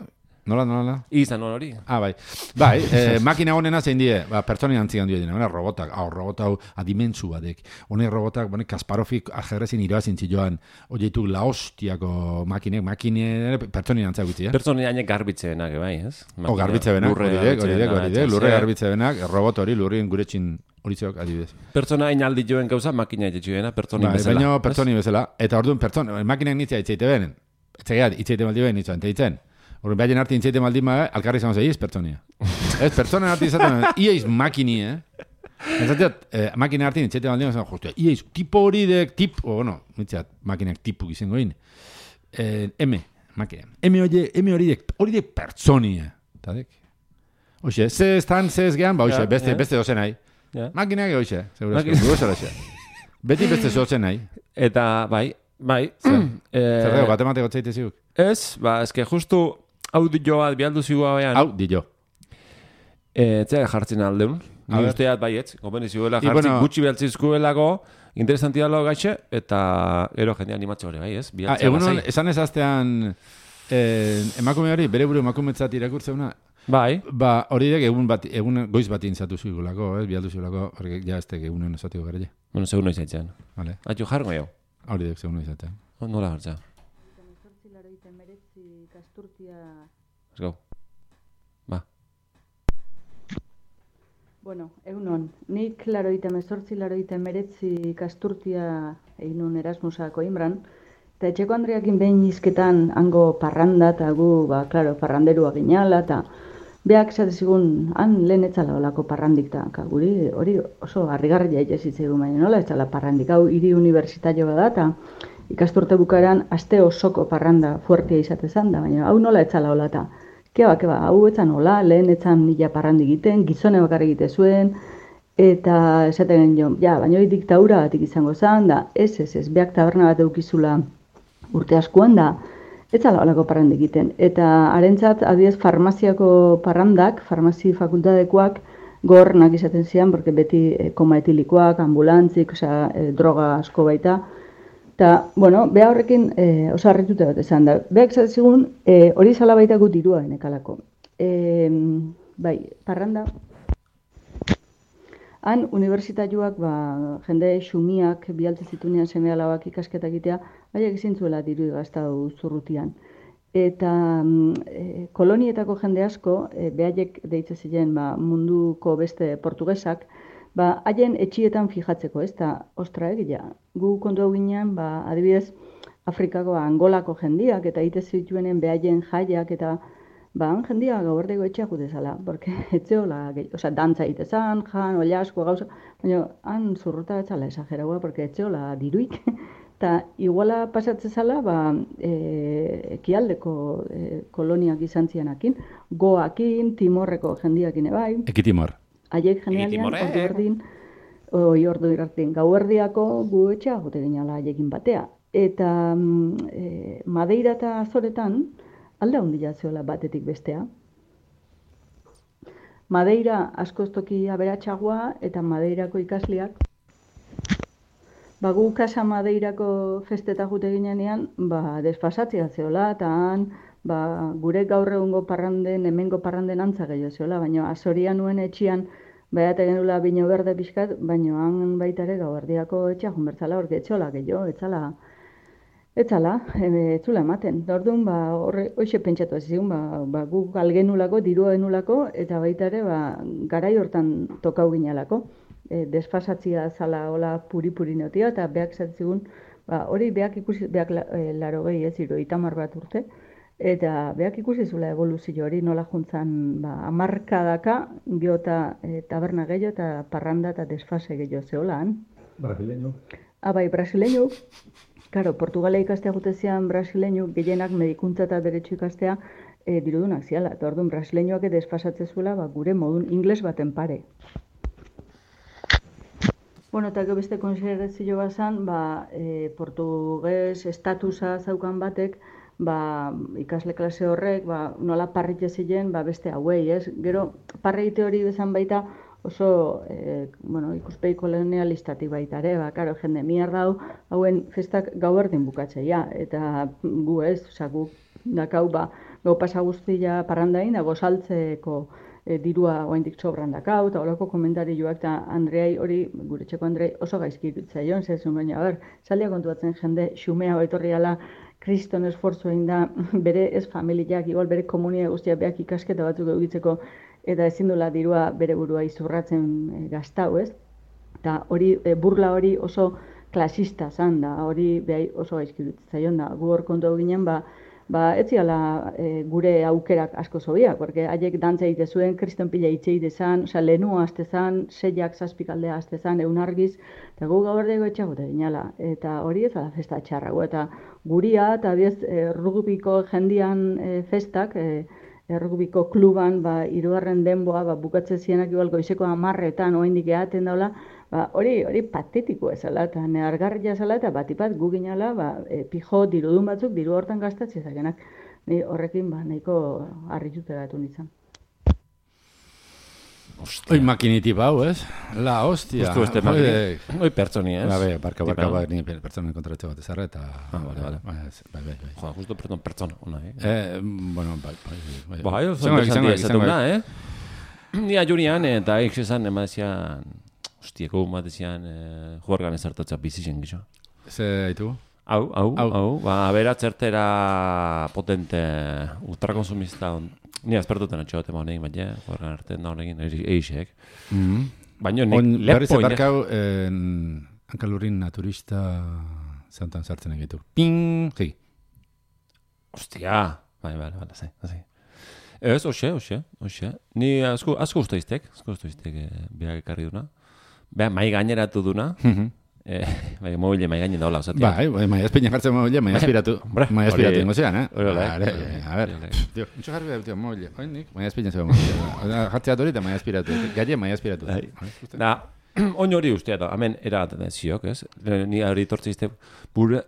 Nola, nola, nola? Izan nola hori. Ah, bai. Bai, eh, makina honena zein die, ba, pertsoni antzigan dira, hona robotak, hau, robot hau adimentzu badek. Hone robotak, bone, Kasparofik ajerrezin iroazin zioan, oieitu laostiako makinek, makine, pertsoni antziak gutzi, eh? Pertsoni hainek garbitzebenak, bai, ez? O, garbitzebenak, hori dek, hori dek, hori dek, lurre garbitzebenak, robot hori, lurrien guretxin horitzeok adibidez. Pertsona hain aldi joen gauza, makina etxuena, pertsoni bai, bezala. Baina pertsoni bezala, eta orduan pertsona, makinak nitzia itzeite benen, etzegeat, itzeite maldi behen nitzua, enteitzen. Horren behaien arti intzeite maldin ma, alkarri izan zei, ez pertsonia. Ez, pertsonen arti izaten, ieiz makini, eh? Entzateat, eh, makina arti intzeite maldin ma, justu, ieiz, tipo hori dek, tip, o, bueno, mitzeat, makinak tipu izango in. Eh, M, makina. M hori, M hori dek, hori dek pertsonia. Eta dek. Oxe, ze estan, ze ez gehan, ba, oxe, beste, beste dozen nahi. Makinak, oxe, segura esko, beti beste zozen nahi. Eta, bai, bai. Zer dugu, batemateko tzaite ziguk? Ez, ba, eske justu, hau dio bat bialdu zigua behan. Hau, dio. Etzea jartzen aldeun. Ni usteat baietz, gomeni ziguela jartzen bueno, gutxi behaltzizkuelako, interesanti dalo gaitxe, eta ero jendea animatze hori bai, ez? Ah, egunon, esan ez aztean, eh, emakume hori, bere buru emakumetzat irakurtzeuna, bai. Ba, hori dek egun, bat, egun goiz bat intzatu zigulako, ez? Bialdu zigulako, hori ja ez tek egunen esatiko gara. Bueno, segun noiz aitzen. Vale. Atxu jarro jo. Hori dek segun noiz aitzen. Nola hartza? Let's go. Ba. Bueno, egunon, nik laroita mezortzi, laroita meretzi kasturtia eginun Erasmusako Inbran, eta etxeko Andreakin behin izketan hango parranda, eta gu, ba, klaro, parranderua ginala, eta beak zatezigun, han lehen etzala olako parrandik, eta guri hori oso harrigarria itxezitzegun, baina nola etzala parrandik, hau hiri unibertsitario bada, eta ikasturte bukaeran aste osoko parranda fuertea izatezan da, baina hau nola etzala hola, eta keba, keba, hau etzan hola, lehen etzan nila parrandi egiten, gizone bakar egite zuen, Eta esaten genuen, ja, baina hori diktaura batik izango zen, da, ez, ez, ez, beak taberna bat eukizula urte askoan da, ez zala olako parranda egiten. Eta harentzat, adiez, farmaziako parrandak, farmazi fakultatekoak, gornak izaten zian, porque beti e, koma etilikoak, ambulantzik, osea, e, droga asko baita. Eta, bueno, beha horrekin e, oso harrituta bat esan da. Beak zazigun, e, hori zala baitako dirua enekalako. E, bai, parranda... Han, unibertsitatuak, ba, jende xumiak, bialtze zitunean seme alabak ikasketa egitea, baiak izintzuela diru gaztau zurrutian. Eta e, kolonietako jende asko, e, behaiek deitze ziren ba, munduko beste portugesak, ba, haien etxietan fijatzeko, ez da, ostra egia. Gu kontu hau ginean, ba, adibidez, Afrikako Angolako jendiak, eta ite zituenen behaien jaiak, eta ba, han jendia gauerdeko etxea jute zala, porque etxeola, oza, dantza itezan, jan, olla asko gauza, baina han zurruta etzala esageraua, porque etxeola diruik, eta iguala pasatze zala, ba, e, ekialdeko e, koloniak izan zianakin, goakin, timorreko jendiakin ebai. Eki timor. Haiek jendealian, ordu erdin, oi ordu irartin, gauerdiako gu etxea jute ginala haiekin batea. Eta e, Madeira eta Azoretan, alda handia zeola batetik bestea. Madeira askoztoki aberatsagoa eta Madeirako ikasleak. Ba, gu Casa Madeirako festeta jute ginenean, ba, desfasatzea zeola, eta han, ba, gure gaur egungo parranden, hemengo parranden antza gehiago zeola, baina Azorian nuen etxian, baiate genula bino berde pixkat, baina han baitare gauerdiako etxea junbertzala, orke etxola gehiago, etxala, Etzala, etzula ematen. Orduan, ba, horre, hoxe pentsatu zigun, ba, ba, gu galgenulako, dirua genulako, eta baita ere, ba, garai hortan tokau ginalako. E, desfasatzia zala hola puri-puri neotia, eta beak zatzigun, ba, hori beak ikusi, beak la, e, laro gehi ez, iro, itamar bat urte, eta beak ikusi zula evoluzio hori nola juntzan, ba, amarkadaka, geota e, taberna gehiago, eta parranda eta desfase gehiago zeholan. Brasileño. Abai, brasileño. Claro, Portugala ikastea gutezian brasileño gehienak medikuntza eta derecho ikastea e, dirudunak ziala. Eta orduan brasileñoak desfasatze zuela ba, gure modun ingles baten pare. Bueno, eta beste konsiderazio bazan, ba, e, portugues estatusa zaukan batek, ba, ikasle klase horrek, ba, nola parritze ziren, ba, beste hauei, ez? Gero, parreite hori bezan baita, oso, eh, bueno, ikuspegi kolonialistatik baita ere, ba, karo, jende mierda hau, hauen festak gau erdin bukatzeia, eta gu ez, oza, gu dakau, ba, gau pasa guztia parrandain, dago saltzeko e, dirua oaindik sobran dakau, eta horako komentarioak, eta Andreai hori, gure txeko Andrei oso gaizki irutzaion, zezun baina, ber, saldia kontuatzen jende, xumea etorriala, kriston esfortzu egin da, bere ez familiak, igual bere komunia guztia beak ikasketa batzuk egitzeko, eta ezin dula dirua bere burua izurratzen e, gaztau, ez? Eta hori, e, burla hori oso klasista zan da, hori behai oso gaizki zaion da. Gu hor kontu ginen, ba, ba ez ziala e, gure aukerak asko zobiak, porque haiek dantza egite zuen, kriston pila hitze egite zan, oza, lehenua azte zan, seiak zazpikaldea azte zan, egun argiz, eta gu gauerdeko etxagote ginala. Eta hori ez da festa txarrago, eta guria, eta abiez, e, rugubiko jendian e, festak, e, errugubiko kluban, ba, irugarren denboa, ba, bukatze zienak igual goizeko amarretan, oaindik eaten daula, ba, hori, hori patetiko ezala, eta nehargarria ezala, eta batipat gu ginala, ba, e, pijo dirudun batzuk, diru hortan gastatzi ezagenak. Ni horrekin, ba, nahiko harritute gatu nintzen. Oi makinitip hau, ez? La hostia. Justu este makinitip. Oi pertsoni, ez? Ba, be, barka, barka, barka, ni pertsonen kontratxe bat ezarra, eta... Ah, bale, bale. Bai, bai, bai. Joa, justu perton pertsona, ona, eh? Eh, bueno, bai, bai, bai. Ba, haio, zon interesantia ezatuna, eh? Ni ajurian, eta eik zezan, ema dezian... Hostia, gu bat dezian, juargan ezartatza bizisen gizo. Ze haitu? Hau, hau, hau. Ba, bera txertera potente ultrakonsumista on. Ni azpertuten atxegote ma honekin, baina, juargan arte da honekin, eixek. Baina, nik lepo... Berriz ebarkau, hankalurin naturista zantan sartzen egitu. Ping! Hei. Hostia! Bai, bai, bai, zai, zai. Ez, hoxe, hoxe, hoxe. Ni asko, asko uste iztek, asko uste iztek, behar ekarri duna. Beha, mai gaineratu duna. Bai, mobile mai gainen daula osatia. Bai, mai espeina jartzen mobile, mai aspiratu. Mai aspiratu ingo zean, eh? Vale, a ver. Tío, mucho jarri da, tío, mobile. Oinik, mai espeina zean mobile. Jartzea dorita mai aspiratu. Galle mai aspiratu. Da, oin hori ustea da, hemen eragaten ziok, ez? Ni hori tortzizte bure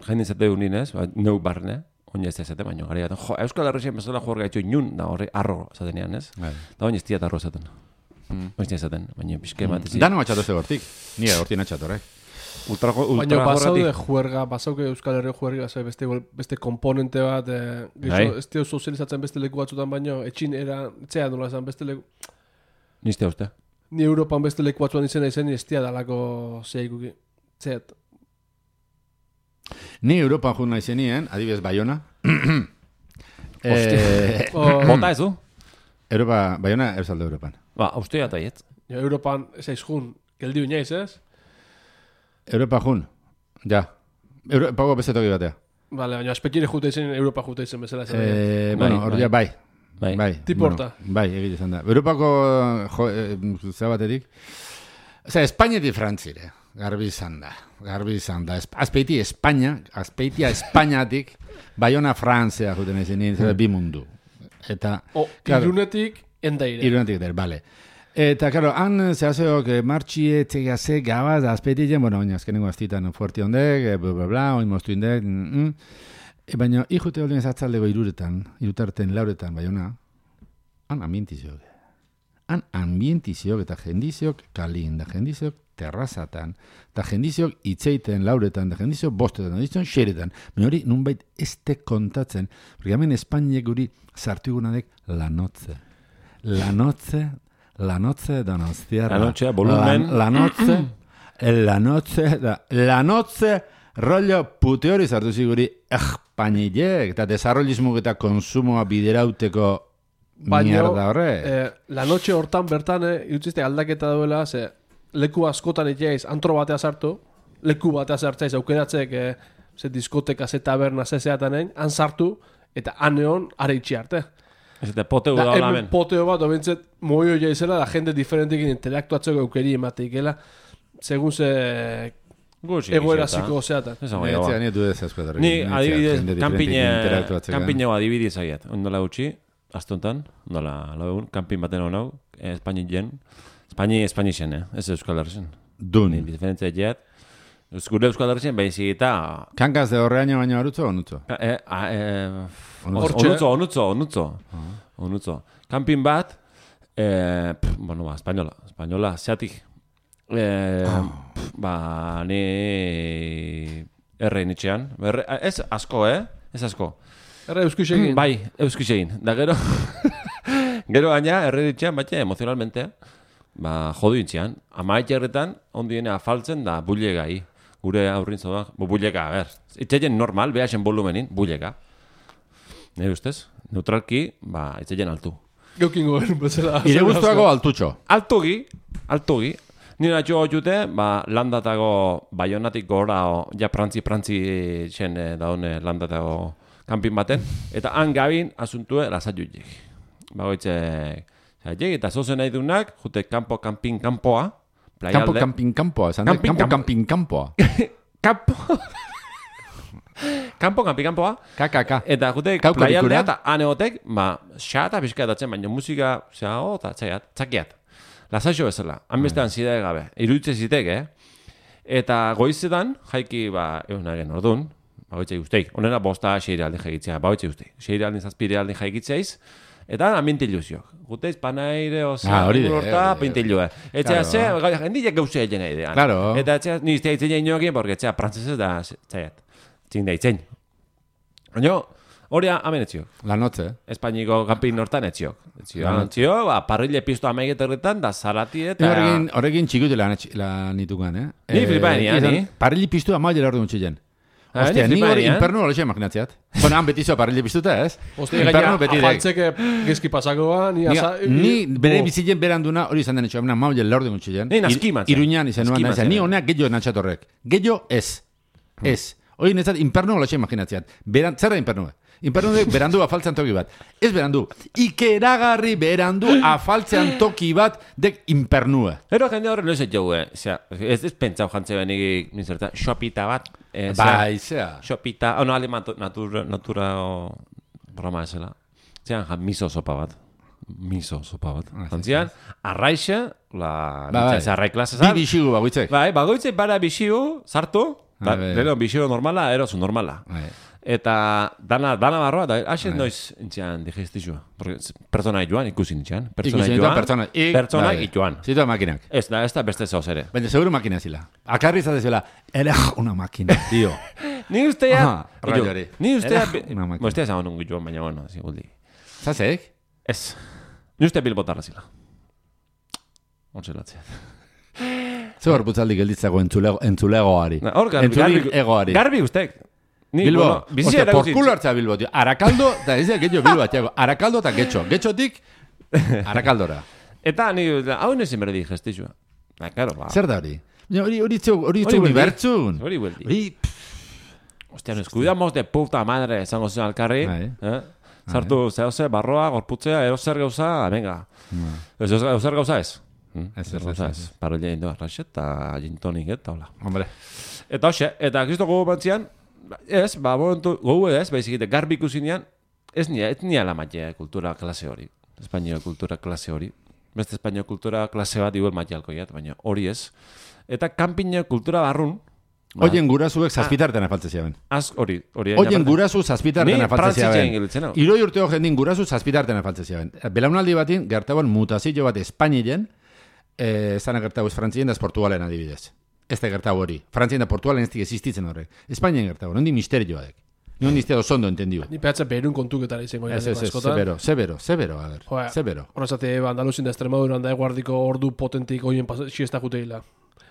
jendin zate unin, ez? Neu barne, oin ez zate, baino gari gaten. Jo, Euskal Herrixen bezala jugar gaitxo inun, da horre arro zatenean, ez? Da oin ez tiat arro zaten. Oin ez zaten, baina pixke bat ez. Dano matxatu ze gortik, nire gortik natxatu, horrek. Ultra, ultra baina pasaude juerga, pasauke Euskal Herri juerga, beste, beste komponente bat, eh, gizo, ez teo sozializatzen beste leku batzutan, baino, etxin era, etzea nola esan, beste leku... Nizte uste? Ni Europan beste leku batzuan izena izen, ez tia dalako zeikuki. Zeat. Ni Europan juna izenien, adibidez Bayona. eh, Bota ez du? Europa, Bayona, eusalde Europan. Ba, austea eta iet. Europan, ez aiz jun, geldi uñaiz, ez? Europa jun, ja. Europago beste toki batea. Vale, baina aspekire jute izen, Europa jute izen bezala. Eh, bueno, hor ja, bai. Bai, bai. Tiporta. Bueno, bai, egite izan da. Europako jo, eh, zabaterik. Osea, Espainetik Frantzire. Garbi izan da. Garbi izan da. Azpeiti Espainia, azpeitia Espainiatik, Bayona Frantzia juten izan, hmm. bi mundu. Eta... O, claro, irunetik endaire. Irunetik der, bale. Eta, claro, han zehazeok martxie txegase gabaz azpeitien, bueno, oin azkenengo aztitan fuerti ondek, bla, bla, bla, oin moztu indek, mm, e, baina ikute holdien zatzaldego iruretan, irutarten lauretan, baiona, han ambientiziok. Han ambientiziok eta jendiziok kalin, da jendiziok terrazatan, da jendiziok itzeiten lauretan, da jendiziok bostetan, da jendiziok xeretan. Baina hori nunbait ez te kontatzen, porque hemen Espainiek guri sartu egunadek lanotze. Lanotze, lanotze donostiarra. Lanotze, volumen. La, lanotze, lanotze, da, lanotze, rollo pute hori sartu ziguri Espainiek, eta desarrollismo eta konsumoa biderauteko mierda horre. Eh, la noche hortan bertan, eh, irutziste aldaketa duela, ze leku askotan etxeiz, antro batea sartu, leku batea sartzaiz aukeratzek, eh, ze diskoteka, ze taberna, ze zeatanen, han sartu, eta aneon are itxi arte. Ez eta poteo da hola hemen. Poteo bat, obentzet, moio jaizela, da jende diferentekin intelektuatzeko eukeri emateikela, segun ze... egoera ziko zeatan. Netzea nietu ez asko. Ni adibidez, kanpineo adibidez aiat. Ondola gutxi, astontan, ondola lagun, kanpin baten honau, Espaini jen, Espaini, Espaini zen, eh? Ez Euskal Herrisen. Dun. Diferentzia jet. Gure Euskal Herrisen, behizik eta... Kankaz de horreaino baino arutzo o onutzo? Eh, eh, onutzo, onutzo, onutzo. Onutzo. Kanpin bat, eh, pff, bueno, ba, espainola, espainola, zeatik. Eh, oh. pff, ba, ni erre nitxean. Erre, ez asko, eh? Ez asko. Erre euskixegin. Bai, euskixegin. Da gero, gero gaina, erre nitxean, baina emozionalmente, ba, jodu intzian. Amaik erretan, ondiene afaltzen da bulegai. Gure aurrin zoda, bulega, a ber. Itxegen normal, behasen volumenin, bulega. Nire ustez, neutralki, ba, itxegen altu. Geukin gobernu bezala. Ire guztuako altutxo. Altugi, altugi. Nire atxo jute, ba, landatago baionatik gora, o, ja prantzi-prantzi txen daune landatago kanpin baten. Eta han gabin asuntue lasatxutik. Bagoitze, zaitek, eta zozen nahi dunak, jute kampo, kampin, kampoa. Campo, camping, campoa, esan Camping, campo, campo. camping, campoa. Campo. Campo, camping, campoa. Ka, ka, ka. Eta jute, playaldea eta aneotek, ba, xata pixka datzen, baina musika, zera, oh, eta txaiat, txakiat. Lasaixo bezala, hanbestean zidea gabe, iruditze zitek, eh? Eta goizetan, jaiki, ba, egun nagen orduan, ba, goitzei guzteik, onena bosta xeire aldi jaikitzea, ba, goitzei guzteik, xeire aldi zazpire aldi jaikitzeiz, eta ambiente ilusiok. Guteiz panaire, osea, ah, urta, pinte ilue. Etxea, ze, jendiak gauzea egin nahi dean. Claro. Eta etxea, niztea itzen egin jokin, porque etxea, prantzesez da, txaiat, txin da itzen. Baina, hori hamen etziok. La noche. Espainiko kanpin nortan etziok. Etziok, ba, parrille piztu amaiget erretan, da zarati eta... Horrekin, horrekin txikutu lan nitukan, eh? Ni flipaen, ja, ni? Parrille piztu amaiget erretan txilen. Ostia, ni hori inpernu hori imaginatziat. Bueno, han betizo parrille piztuta, ez? Ostia, gaina, afaltzeke gezki pasakoa, ni asa... Ni bere bizilen beranduna hori izan den etxo, amena maule lorde gutxilen. Ni naskimatzen. Iruñan izan nuan, ni honeak gehiago natxatorrek. Gehiago ez. Ez. Hori netzat inpernu hori imaginatziat. Zer da inpernu? Inpernu berandu afaltzean toki bat. Ez berandu, ikeragarri berandu afaltzean toki bat dek impernue. Ero jende horre loizet jau, eh? Ez ez pentsau jantze benik, minzerta, xopita bat. Eh, bai, zea. Xopita, oh, no, ale natura, natura o broma esela. Zean, jan, miso sopa bat. Miso sopa bat. Zantzian, arraixa, la... Ba, bai, arrai klase zan. Bi bixigu bagoitzek. Bai, bagoitzek bara bixigu, sartu. Ba, leheno bixigu normala, erozu normala. Bai. Eta dana, dana barroa, da, haxen noiz entzian digestizua. Pertsona joan, ikusi nintzian. Pertsona joan, pertsona, pertsona joan. Zitu makinak. Ez da, ez da beste zauz ere. Baina, seguro makina zila. Akarri izate zila, ere una makina, tío. Ni ustea... Raiori. Ni ustea... Bo, ustea zagoen un joan, baina, bueno, ziguldi. Zazek? Ez. Ni ustea bilbotarra zila. Ontzelatzea. Zer hor putzaldik elditzago entzulegoari. Hor, garbi, garbi ustek. Bilbo, ostia, por culo hartza Bilbo, tío. Arakaldo, eta ez da getxo Bilbo, atxago. Arakaldo eta getxo. Getxotik, arakaldora. Eta, ni, hau nezin berdi gestizua. Na, karo, ba. Zer da hori? Hori itzu, hori itzu unibertsun. Hori hueldi. Hori, ostia, nos cuidamos de puta madre, esango zen alkarri. Eh? Zartu, zehose, barroa, gorputzea, erozer gauza, venga. Erozer gauza ez. Ez, ez, ez, ez. Parolia indo arraxet, eta jintonik, eta hola. Hombre. Eta hoxe, eta kristo gogo bantzian, ez, ba, momentu, gogo ez, baizik, garbi ikusinean, ez nia, ez nia la magia kultura klase hori. Espainio kultura klase hori. Beste espainio kultura klase bat igual magia alkoiat, baina hori ez. Eta kanpina kultura barrun, Oien gurazuek zazpitarten afaltze ziaben. Az, hori, hori. Oien gurazu zazpitarten afaltze ziaben. Ni Iroi urteo jendin gurazu zazpitarten afaltze ziaben. Belaunaldi batin, gertaban mutazio bat Espainien, eh, zana gertabu ez Frantzien da Portugalen adibidez. Ez da gertabu hori. Frantzien da Portugalen ez dik existitzen horrek. Espainien gertabu, nondi misterioa dek. Nion diztea dozondo entendiu. Ni pehatza berun kontuketara izango ez, ez, ez, zebero, zebero, zebero, a ver, Joa, zebero. Horrezate, Andaluzin da Extremadura, da eguardiko ordu potentik oien siesta juteila.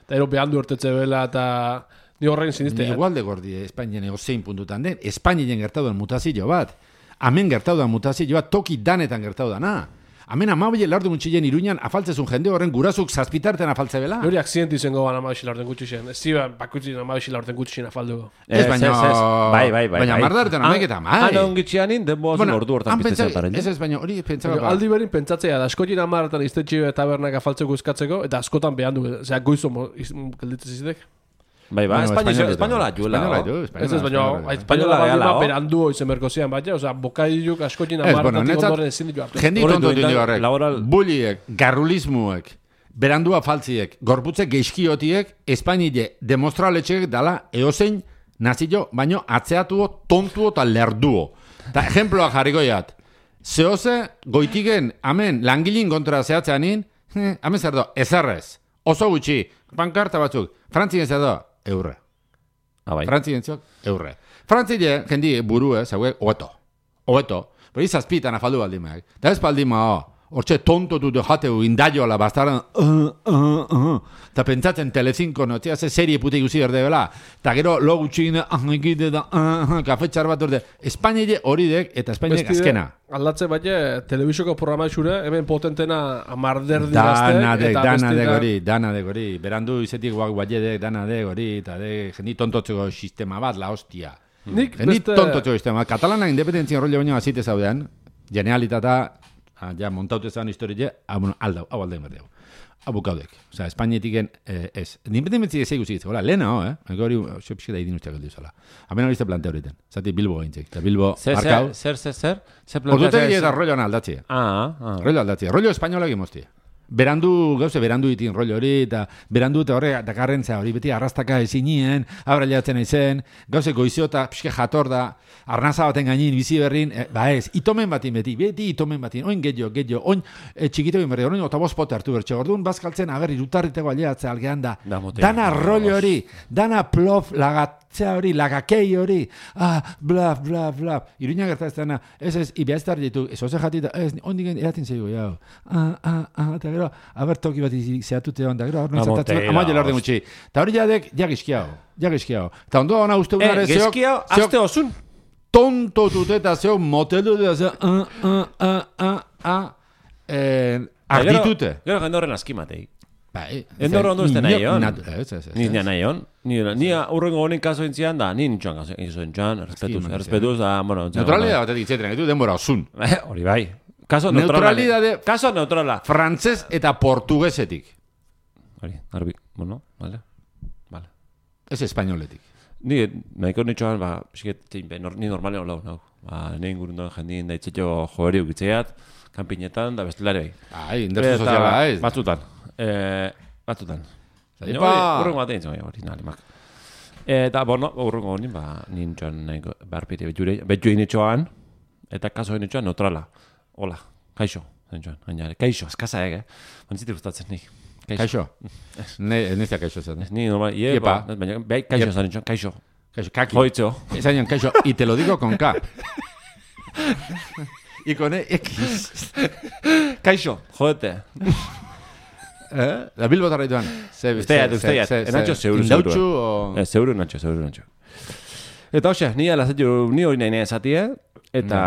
Eta ero behandu ertetze bela, eta ni horrein siniste. Ni igual de gordi, Espainien egozein puntutan den, Espainien gertau den mutazio bat, hemen gertau den mutazio bat, toki danetan gertau dana. Hemen amabile lardu gutxien Iruñan afaltzezun jende horren gurasuk zazpitarten afaltze bela. Hori akzidenti izango ban amabile lardu gutxien. Ez ziba, bakutxin amabile lardu gutxien afalduko. Ez, baina... Bai, bai, bai. Baina mardarten ameketa, mai. Ana ongitxianin, denboa zuen ordu hortan piztezen paren. Ez ez, baina hori pentsaba... Aldi berin pentsatzea, da askotin amaratan iztetxe tabernak afaltzeko eskatzeko, eta askotan behandu, zera goizo gelditzen zizitek. Bai, ba, espainola juela. Ez ez, baina espainola baina berandu izen berkozian, baina, oza, bokailuk askotin amaratatik ondoren ezin ditu hartu. Jendi tonto dindi horrek, buliek, garrulismuek, berandua faltziek, gorputzek geizkiotiek, Espainile demostraletxek dala eozein nazio, baino atzeatuo, tontuo eta lerduo. Eta ejemploa jarrikoiat, zehose goitiken, amen, langilin kontra zehatzeanin, amen zer do, ezarrez, oso gutxi, pankarta batzuk, Frantzien zer do, eurre. Ah, bai. Frantzien ziok, eurre. Frantzile, jendi, burue, zauek, oeto. Oeto. Pero izazpitan afaldu baldimak. Da ez baldima, hortxe tonto dut jateu indaiola bastaran, uh, uh, uh. Ta pentsatzen telecinco, no, tia, ze serie pute ikusi berde bela. Ta gero, lo gutxin, uh, egite da, uh, uh, kafetxar bat orde. Espainile hori dek, eta Espainile azkena. Aldatze baina, telebizoko programa xure, hemen potentena amarderdi gazte. Dana dek, dana dek hori, dana dek hori. Berandu izetik guak guaiedek, dana dek hori, eta dek, jendi tontotzeko sistema bat, la hostia. Nik jendi beste... tontotzeko sistema. Katalana independentzien rollo baino azite zaudean, genialitata, ah, ja, montaute zan historie, ah, bueno, aldau, hau aldein berdeu. Abukaudek. Osa, Espainetiken, eh, ez. Independentzia ez eguzik, hola, lehena, ho, eh? Ego hori, xo pixka da idin usteak aldiz, hola. Hemen hori ze plante horiten. Zati Bilbo gaintzek. Eta Bilbo, arkau. Zer, zer, zer? Ordute eta rollo ana aldatzi. Ah, ah. Rollo aldatzi. Rollo espainola egimozti. Berandu, gauze, berandu itin rollo hori, eta berandu eta horre, dakarrentza hori, beti arrastaka ezinien, abrailatzen aizen, gauze goiziota, pixke jator da, arnaza baten gainin, bizi berrin, e, ba ez, itomen batin beti, beti itomen batin, oin gehiago, gehiago, oin e, txikito egin berri, oin otabos pote hartu bertxe, orduan bazkaltzen, aberri, rutarriteko aliatzea algean da, dana rollo hori, dana plof, lagatzea hori, lagakei hori, ah, bla, bla, bla, Iruña gerta ez dana, ez ez, ibia ez ditu, ez oze jatita, ez, ondigen eratin zeigo, jau, ah, ah, ah, eta gero, aber toki bat zehatute hon, da gero, hor nintzatatzen, amaile lorde gutxi, eta hori jadek, jagizkiao, jagizkiao, eta ondo hona uste unare, eh, gezkiao, azte osun, tonto tuteta zeo, motelu da zeo, ah, ah, ah, ah, ah, eh, arditute. Gero jende horren askimatei. Bai, endor ondo ez nahi hon. Ni nahi hon. Ni urrengo honen kaso entzian da, ni nintxoan kaso entzian, errespetuz, da, bueno... Neutralidad batetik zetenak ditu denbora osun. Hori bai. Kaso neutralidade... Kaso neutrala. Frantzez eta portuguesetik. Hori, arbi, bueno, vale. Vale. Ez espainoletik. Ni, nahiko nintxoan, ba, ni normalen hola hau. Ba, ni ingurun duen jendin da itxetxo joeri ukitzeat, kampinetan, da bestelare bai. Ai, indertu soziala, ez? Batzutan. Eh, batzutan. Urrengo batean izan, hori nalimak. Eta, bueno, urrengo honin, ba, nintxoan barpite betjure, betjure nintxoan, eta kaso nintxoan neutrala. Hola, kaixo, nintxoan, gainare. Kaixo, eskaza ege, bantzite gustatzen nik. Kaixo? Nezia kaixo zen. Ni normal, ie, ba, bai, kaixo zen nintxoan, kaixo. Kaixo, kaki. Joitzo. Esañan, kaixo, y te lo digo con K. Y con X. Kaixo, jodete. Eh? La Bilbo tarraituan. Usteiat, usteiat. Enatxo zeuru, zeuru. Indautxu o... Zeuru, enatxo, zeuru, enatxo. Eta hoxe, ni alazetu, ni hori nahi nahi esatie, eta...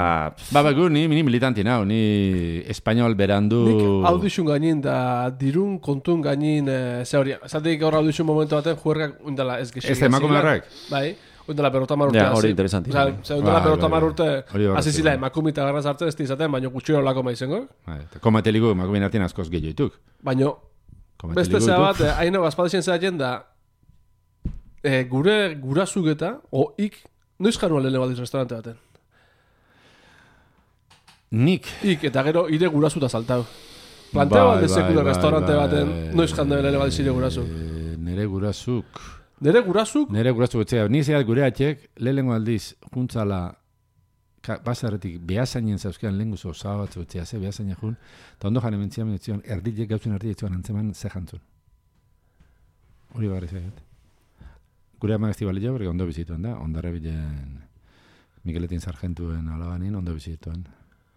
Ba, ba, gu, ni militanti nau, ni espainol berandu... Nik audizun gainin, da dirun kontun gainin, ze hori, zatik gaur audizun momentu baten, juergak undala ez gexik. Ez da emakume horrek? Bai. Oindela perota mar urte. Ja, hori interesanti. Osa, oindela perota mar urte, azizila emakumita garraz hartzen ez izaten, baina gutxiro lako maizengo. Komateligu emakumin artien askoz gehioituk. Baina, beste zea bat, haino bazpadexen zea jenda, gure gurazuk eta, o ik, noiz janua lehene baldiz restaurante baten? Nik. Ik, eta gero, ire gurazuta saltau. Planteo bat dezekule restaurante baten, noiz janua lehene baldiz ire gurazuk. Nere gurazuk... Nere gurasuk? Nere gurasuk etzea. Ni zeat gure atxek, lehenengo aldiz, juntzala, basarretik behazainen zauzkean lehen guzo osabatzu etzea, ze behazainen jun, eta ondo jane mentzian mentzion, erdilek gauzen erdilek zuan antzeman ze jantzun. Hori barri zeat. Gure ama gaztibali jo, berge ondo bizituen da, ondarra bilen Mikeletin sargentuen alabanin, ondo bizituen.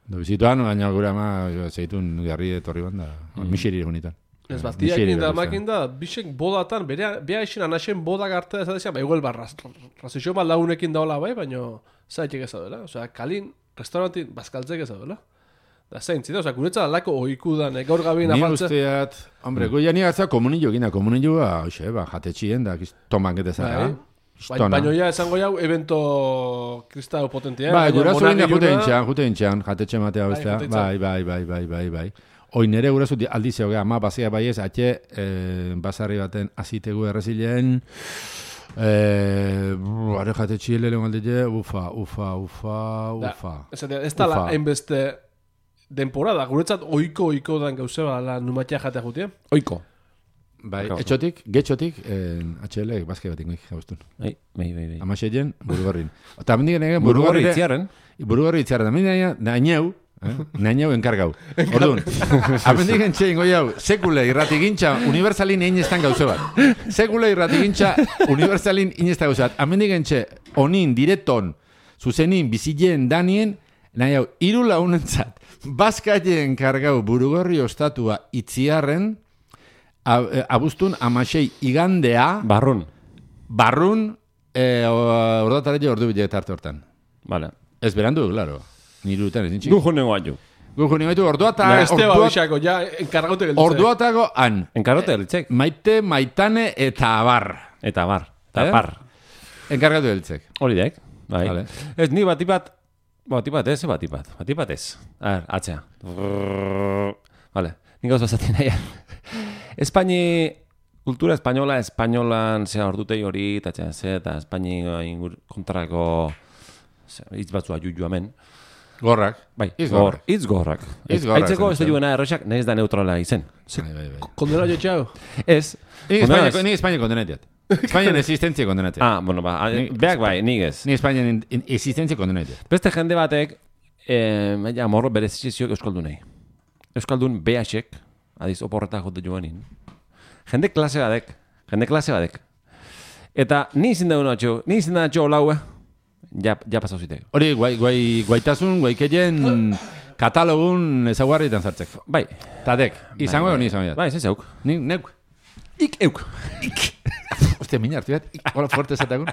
Ondo bizituen, baina gure ama zeitun garri etorri banda, misiri egunitan. Ez bat, diakin da makin da, bisek bodatan, beha eixin anaxen bodak arte ez adizia, ba, igual ba, razizio bat launekin daola bai, baina zaitek ez adela. Osea, kalin, restaurantin, bazkaltzek ez adela. Da, zein, zita, osea, guretzat alako oikudan, gaur gabin afaltze. Ni usteat, hombre, goia ni gartza komunillo gina, komunillo, hoxe, ba, jatetxien da, tomak eta zara. Baina ja, esango jau, evento kristau potentia. Bai, gurazu gina jute intxan, jute intxan, jatetxe matea bestea. Bai, bai, bai, bai, bai, bai. Oin nere gurazu aldizeo, ama bazia baiez, atxe, eh, basarri baten azitegu errezilen, eh, are jatetxie lehen aldile, ufa, ufa, ufa, ufa. Da, ez da la hainbeste temporada, guretzat oiko oiko dan gauze la numatia jatea jutia? Oiko. Bai, etxotik, getxotik, eh, H L bazke bat ingoik gauztun. Bai, bai, bai. bai. Amaxeien, burugorrin. Eta amendik nege, burugorri itziarren. Burugorri itziarren, amendik naineu, Eh? Nainau enkargau. Orduan, amendik entxe ingo jau, sekule irratigintxa universalin inestan gauze bat. Sekule irratigintxa universalin inestan gauze bat. Amendik entxe, onin, direton, zuzenin, bizileen, danien, nahi hau, iru launentzat, bazkaien enkargau burugorri ostatua itziarren, abuztun amasei igandea, barrun, barrun, eh, ordatare ordu bile tarte hortan. Vale. Ez berandu, claro. Nirutan ez nintxik. Gujo nengo atu. Gujo nengo atu, orduata... Esteba bisako, ja, enkargaute gelditzek. Orduatago, han. Enkargaute gelditzek. Maite, maitane eta abar. Eta abar. Eta eh? Par. Enkargatu gelditzek. Hori dek. Bai. Vale. Ez, ni batipat... Batipat ez, batipat. Batipat ez. A ver, atzea. Vale. Nik gauz bazatzen nahi. Espaini... Kultura espainola, espainolan zea ordutei hori, eta ze, eta Espaini kontrako... Itz batzua juju hemen. Gorrak. Bai, itz gorrak. Itz gorrak. Aitzeko ez da juena erroxak, nahiz da neutrala izen. Bai, bai, bai. Kondena jo txau? Ez. Ni Espainian kondenatiat. Espainian existentzia kondenatiat. Ah, bueno, ba, beak bai, nik ez. Ni Espainian existentzia kondenatiat. Beste jende batek, ja, morro berezizioak euskaldunei. Euskaldun behaxek, adiz, oporretak jote joanin. Jende klase badek. Jende klase badek. Eta ni izin dago atxo, ni izin dago atxo olaue. Ja, ja pasau zitek. Hori, guai, guai, guaitasun, guaikeien katalogun ezaguarritan zartzek. Bai. Tadek, izango egon izango. Bai, ez euk. Ni, neuk. Ik euk. Ik. Ostia, mina hartu bat. Hola, fuerte zatagun.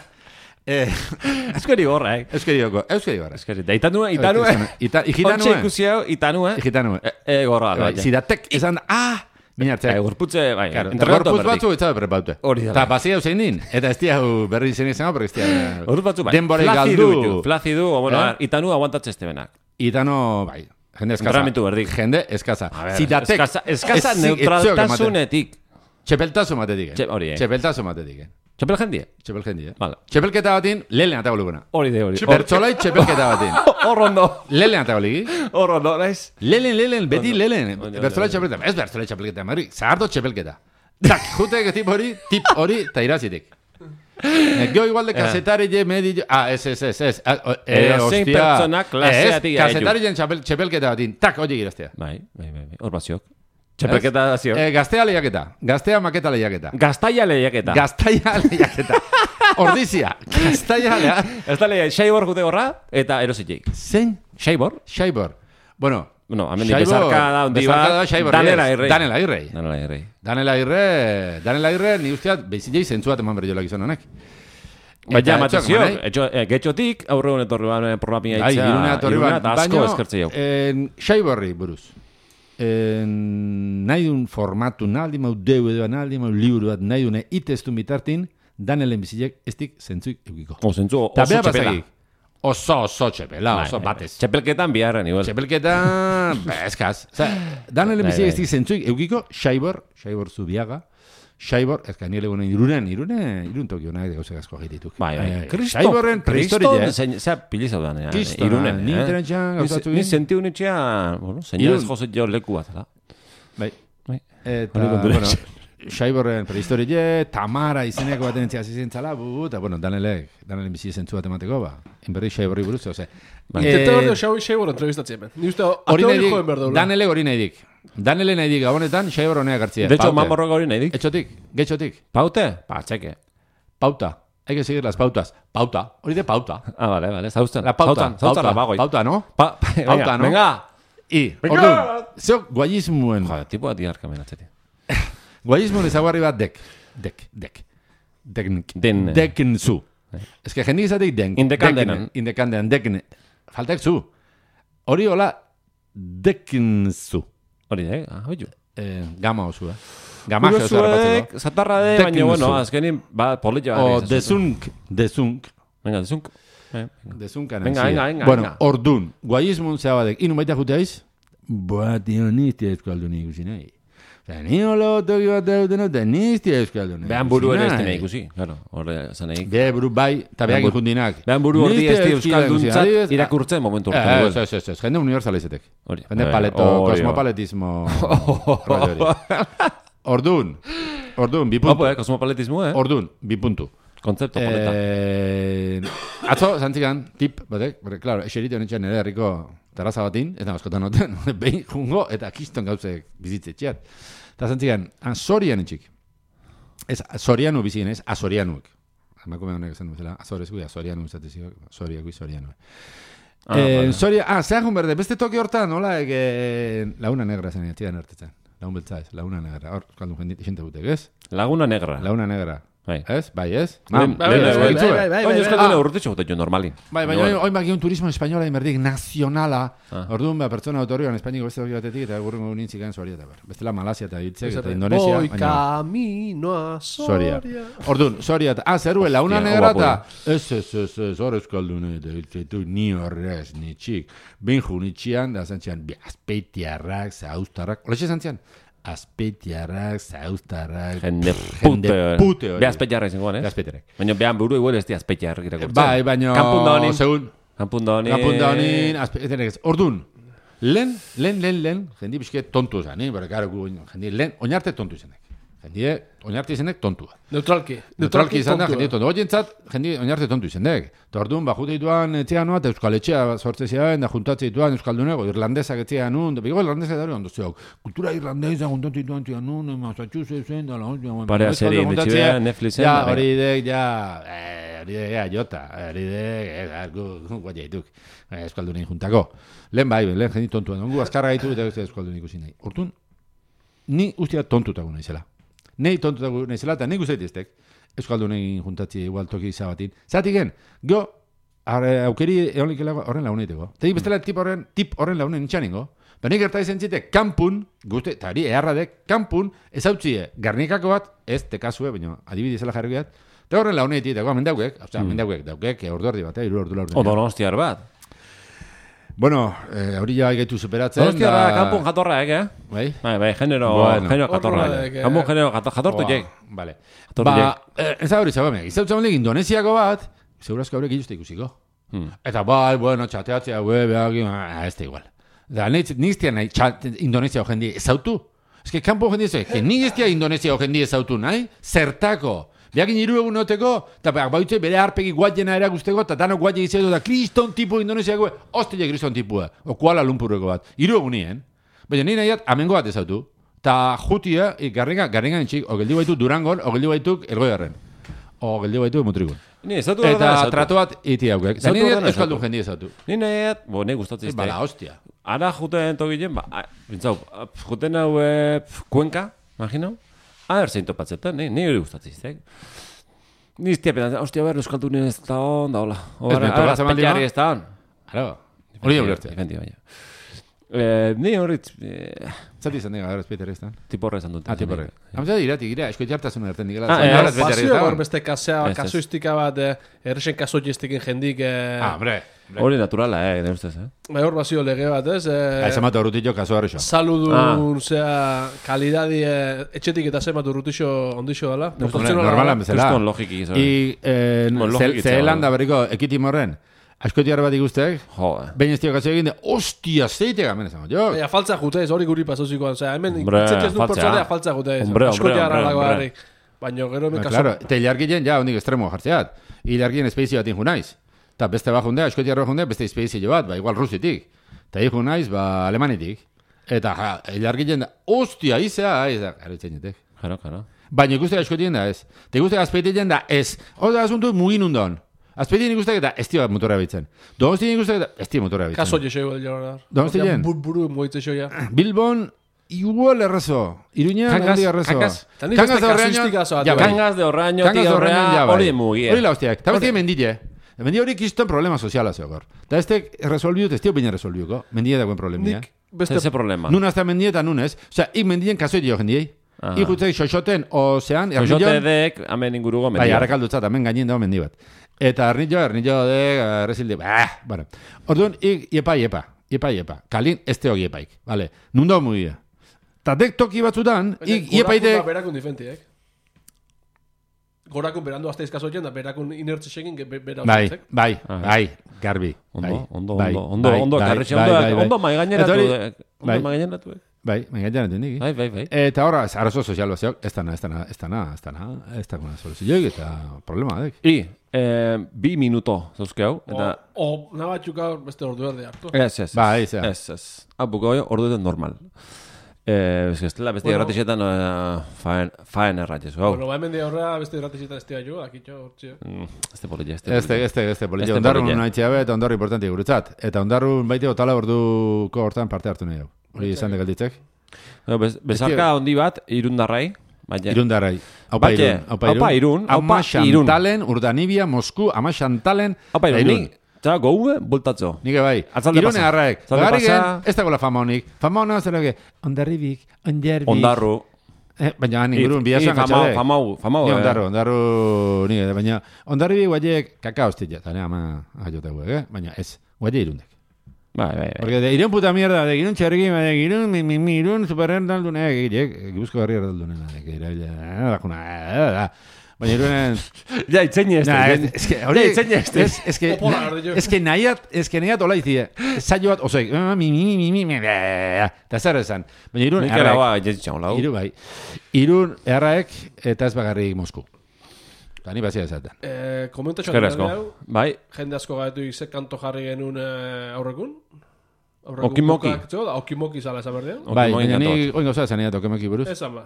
Euskari gorra, eh? Euskari gorra. Euskari gorra. Euskari. Da itanua, itanua. Itanua. Ontxe ikusiau, itanua. Itanua. E, gorra. Zidatek, esan, ah, Minartzeak. Gorputze, bai, gorputz batzu etzabe prepaute. Hori da. Eta basi hau zein din. Eta ez diau berri izan izango, pero ez diau... Gorputz batzu, bai. Denbore galdu. Flazidu, o bueno, itanu aguantatze este benak. Itano, bai. Jende eskaza. Entramentu berdik. Jende eskaza. Zidatek. Eskaza neutraltasunetik. Txepeltazo matetik, eh? Hori, eh? Txepeltazo matetik, eh? Txepel jendie? Txepel jendie, eh? Vale. Txepelketa batin, lehen atago luguna. Hori de, hori. Bertzolai txepelketa batin. Horrondo. Lehen atago ligi. Horrondo, naiz. Lehen, lehen, beti lehen. Bertzolai txepelketa. Ez bertzolai txepelketa, Madrid. Zahardo txepelketa. Tak, jutek tip hori, tip hori, ta irazitik. Gio igual de kasetari je medi... Ah, ez, ez, ez, ez. Zein pertsonak klaseatik gaitu. Kasetari jen txepelketa batin. Tak, hori giraztea. Bai, bai, bai. Hor baziok. Txepelketa da zio. Eh, gaztea lehiaketa. Gaztea maketa lehiaketa. Gaztaia lehiaketa. Gaztaia lehiaketa. Ordizia. Gaztaia lehiaketa. Gaztaia lehiaketa. Xaibor gute gorra eta erositxik. Zein? Xaibor? Xaibor. Bueno. Bueno, hamen di bezarka da ondi bat. Danela irrei. Danela irrei. Danela irrei. Danela irrei. Danela irrei, ni usteat, beizilei zentzuat eman berriolak izan honek. Baina, matazio, getxotik, aurre honet horri ban programia itza. Irune atorri ban. Asko eskertze jau. Xaiborri buruz. Nahi dun formatu, nahi mau deu edo, nahi mau liburu bat, nahi dune itestun bitartin, Danelen bizilek estik zentzuik eukiko. O, zentzu oso txepela. Oso, oso txepela, oso batez. Txepelketan biharren, igual. Txepelketan, eskaz. Danelen bizilek estik zentzuik eukiko, Xaibor, Xaibor Zubiaga, Xaibor, ez ka nire gunen irunen, irunen, irun tokio nahi gauzak asko egitituk. Bai, bai. Xaiborren prehistoria, eh? Zea pilizau da, nea. Irunen, ni interentxan gauzatu egin. Ni sentiu nitxea, bueno, señores jozet jo leku bat, da. Bai. Eta, bueno, Xaiborren prehistoria, Tamara izeneko baten entzia zizentzala, eta, bueno, Danelek, Danelen bizi zentzu bat emateko, ba, inberri Xaiborri buruz, ose. Intenta berdo Xaibor entrevistatzen, ben. Ni uste, ate hori joen berdo. Danelek hori nahi dik. Danele nahi dik gabonetan, Xaibor honeak hartzia. De hecho, mamorroka hori nahi dik. Etxotik, getxotik. Paute? Pa, txeke. Pauta. Hay que seguir las pautas. Pauta. Hori de pauta. Ah, vale, vale. Zauzten. La pauta. Zauzten la bagoi. Pauta, no? Pa, pauta, no? Venga. I, orduan, zeo guayismuen. Joder, tipo ati harkamen atzeti. Guayismuen ezaguarri bat dek. Dek, dek. Deknik. Den. Dekin zu. Ez que jendik izatik den. Indekandenan. Indekandenan, dekin. Faltek zu. Hori hola, dekin zu. Hori, eh? Ah, hoi ju. Gama osu, eh? Gama osu errapatzeko. Zatarra de, baina, bueno, azkenin, ba, politxo bat. O, dezunk, dezunk. Venga, dezunk. Dezunkan. Venga, venga, venga. Bueno, ordun, guayismun zea badek. Inu baita juteaiz? Boa, tio, nizti eskaldu nik usi nahi. Osa, ni holo toki bat deuten eta nizti eskaldu nik. Behan buru ere ez dena ikusi, claro, horre zaneik. Be, buru bai, eta behan ikundinak. Behan buru horti ez di euskalduntzat irakurtzen momentu urte. Ez, ez, ez, jende universala izetek. Jende paleto, kosmopaletismo. Ordun, ordun, bi puntu. Opo, eh, kosmopaletismo, eh? Ordun, bi puntu. Kontzepto poleta. Atzo, zantzikan, tip, batek, bere, klaro, eserite honetxean ere herriko terraza batin, eta askotan noten, behin jungo, eta kiston gauzek bizitze txiat. Eta zantzikan, Azorian etxik. Ez, Azorianu bizien, ez, Azorianuek. Emakume honek esan duzela, Azorez gui, Azorianu izatezio, Azoriak gui, Azorianu. Ah, eh, vale. Soria, ah, zehakun berde, beste toki hortan, nola, ege, Laguna Negra zen, etxidan hartetzen. Lagun beltza ez, Laguna Negra. Hor, kaldun jendit, xente gutek, ez? Laguna Negra. Laguna Negra. Bai. Ez? Bai, ez? Bai, bai, bai, bai. Oin euskaldune urtetxo gute jo normalin. Bai, bai, oin baki un turismo espainola inberdik nazionala. Orduan, ba, pertsona autorioan espainiko beste doki batetik, eta gurrengo nintzik egin Soria eta ber. Bestela Malasia eta Itzek eta Indonesia. Voy camino a Soria. Orduan, Soria eta, ah, zeruela, una negra eta, ez, ez, ez, ez, hor euskaldune, eta ni horrez, ni txik. Benju nitxian, da zantzian, azpeitiarrak, zauztarrak, olexe zantzian. Azpeitiarrak, zauztarrak, jende pute hori. Be azpeitiarrak izango, eh? Be azpeitiarrak. Baina behan buru igual ez di azpeitiarrak irakurtzen. Bai, baina... Kampunda honin. Segun. Kampunda honin. Kampunda honin, azpeitiarrak. Ordun, lehen, lehen, lehen, lehen, jendi bizke tontu zan, eh? Bara, gara, jendi, lehen, oinarte tontu izanek. Jendi, oinarte izanek tontua. Neutralki. Neutralki izan da, jendi tontu. Oientzat, jendi, oinarte tontu izanek. Eta orduan, ba, jute dituan etxean noa, eta euskal etxea sortze ziren, da juntatze dituan euskaldunego, irlandesak etxean nun, da bigo irlandesak da hori ondo zeok. Kultura irlandesa juntatze dituan etxean nun, Massachusettsen, da la hostia. Parea seri indetxea, Netflixen. Ja, hori dek, ja, hori dek, ja, jota, hori dek, gu guai jaituk, euskaldunen juntako. Lehen bai, lehen jendi tontuan, ongu azkarra gaitu eta euskaldunen ikusi nahi. Hortun, ni ustia tontutago naizela. Nei tontutago naizela, eta nik uste diteztek, euskaldunen juntatzi igual toki izabatin. Zatik gen, go, aukeri eolik horren launeiteko. Eta bestela tip horren, tip horren launen nintxaningo. Benik gerta izan zite, kanpun, guzti, eta hori eharradek, kanpun, ez hau txie, garnikako bat, ez tekazue, baina adibidizela jarri bat, eta horren launeitik, dagoa, mendaukek, hau mm. mendaukek, daukek, ordu ardi bat, iru ordu laurden. O donostiar bat. Bueno, hori eh, ja gaitu superatzen. Donostiar da... kanpun jatorra, eh? Bai? Bai, bai, genero, bueno. genero jatorra. Kanpun genero jatortu jek. Vale. Ba, eh, ez da hori zagoemek, izautzen honek Indonesiako bat, segurazko haurek iluzte ikusiko. Hmm. Eta bai, bueno, txateatzea, gue, behar, ez da igual. Da, niztia nahi, Indonesia hogendi ezautu. Ez que, kanpo hogendi ezautu. Ez que, niztia Indonesia hogendi ezautu nahi, zertako. Beakin hiru egun noteko, eta bautze bere harpegi guatjena erakusteko, eta danok guatje izaitu, eta kriston tipu Indonesiako, hostile kriston tipua, o Kuala Lumpurreko bat. Hiru egun nien. Baina nire nahiat, amengo bat ezautu. Ta jutia, garringa, garringa nintxik, o geldi baitu Durangon, o geldi baituk Ergoiarren. O geldi baitu Mutrikun. Ni ezautu eta tratu bat iti haukek. Eta nire euskaldun jendi ezautu. Ni nahiat, bo, ne gustatzen izte. Bala, hostia. Ara juten togilen, ba, bintzau, juten hau Kuenka, imagino? Aher zein topatzetan, ni hori gustatzen izte. Ni iztia pedan, hostia, behar euskaldunen ez da hon, da hola. Ara, azpetiari ez da hon. Ara, hori da ulertzea. Efendi, baina. Ni horritz... Zati izan dira, azpetiari ez da hon? Tiporre esan dut. Ah, tiporre. Hamza iratik, ira, esko jartasun erten dikela. Ah, pasio hor beste kasuistika bat, errexen kasoiestiken jendik... Ah, hombre. Hori naturala, eh, gire ustez, eh? Bai, hor basio lege bat, ez? Aizamatu urrutitxo kaso harrexo. Saludun, zea, kalidadi, etxetik eta zematu urrutixo ondixo dela. Normalan bezala. Juston logiki izan. I Zeelanda berriko ekitim horren, askotiar bat ikustek, behin ez tio kaso egin, ostia, zeite gamen esan. Ja, faltza jute ez, hori guri pasozikoan, zea, hemen itzetxez du pertsolea faltza jute ez. Askotiar alago harri. Baina gero hemen kaso... Claro, eta ilargien ja, hondik estremo jartzeat. Ilargien espeizio bat inju naiz. Eta beste bat jundea, askotiarro jundea, beste espeizio bat, ba, igual rusitik. Eta inju naiz, ba, alemanitik. Eta, ja, ilargien da, ostia, izea, izea, gara itzenetek. Jaro, jaro. Baina ikuste askotien da ez. Eta ikuste azpeitien da ez. Oda asuntu mugin undon. Azpeitien ikuste eta ez tio motorra bitzen. Donostin ikuste eta ez tio motorra bitzen. Kaso jese igual jorar. Donostin? Buru moitze xoia. Bilbon, igual errezo. Iruña, nandi errezo. Kangas de horreño. Kangas de horreño, tío horreño, hori mugia. Hori la hostiak. Eta bestia mendille. Mendille hori kiston problema soziala zeokor. Eta ez tek resolviut, ez tio baina resolviuko. Mendille dagoen problemia. Beste ese problema. Nun hasta mendille eta nunes. Osea, ik mendillen kaso dio jendiei. Ikutzei xoxoten, ozean... Xoxote dek, amen ingurugo mendia. Bai, arrakaldutzat, amen gainin dago mendi bat. Eta arnillo, arnillo dek, errezildi, bah, bueno. Orduan, ik, iepa, iepa, iepa, iepa. Kalin, ez teo iepaik, vale. Nundo mugia. Ta dek toki batzutan, ik, iepaitek... Gorakun berakun difentiek. Gorakun berandu azte izkazotzen, da berakun inertze segin, bera bai, bai, bai, garbi. Ondo, ondo, ondo, ondo, ondo, karretxe, ondo, ondo maigaineratu, ondo maigaineratu, Bai, maigainan dut Bai, bai, bai. Eta horra, arazo sozial bat zeok, ez dana, ez dana, ez dana, ez dana, ez dana soluzioik eta problema dek. I, eh, bi minuto zauzke hau, eta... O, o nabatxuk gaur beste ordu erde hartu. Ez, ez, ez. Ba, ez, ez. Ez, Hau, buko hori ordu eden normal. Eh, ez que beste bueno, erratixetan faen, faen erratxez. Bueno, ba, hemen de horra beste erratixetan ez jo, akitxo, hortxe. Este polilla, este polilla. Este, este, este polilla. Ondarrun nahi be, eta ondarru importanti guretzat. Eta ondarrun baite otala orduko hortan parte hartu nahi hau. Hori izan degalditzek. Bezarka hondi bat, irundarrai. Irundarrai. Aupa irun. Aupa irun. Ama Xantalen, Urdanibia, Mosku, Ama Xantalen, Aupa irun. Eta goue, bultatzo. Nike bai. Irune harraek. Gari gen, ez dagoela fama honik. Fama honak zer ege, ondarribik, onderbik. Ondarru. Baina ingurun, bihazuan gatxade. Famau, famau. Ondarru, ondarru, nire. Baina ondarribik guaiek kakaostit jata. Eta ama, ajote guek, baina ez. Guaie irundek. Bai, bai, bai. Porque de irun puta mierda, de irun txarriki, de irun, mi, mi, mi, irun, superren daldun, eh, gibuzko garri erdaldun, eh, que ira, da, baina irunen... Ja, itzeñe este. Es que, hori, es que, es que nahiat, es que nahiat hola izi, saio bat, osoi, mi, mi, mi, mi, mi, eta zer esan. Baina irun, erraek, irun, bai, irun, erraek, eta ez bagarrik Mosku. Eta ni bazia esaten. Eh, komento txatzen hau. Bai. Jende asko gaitu izek kanto jarri genuen aurrekun. Okimoki. Okimoki zala esan berdean. Bai, baina ni oin gauza esan edat Okimoki buruz. Esan ba.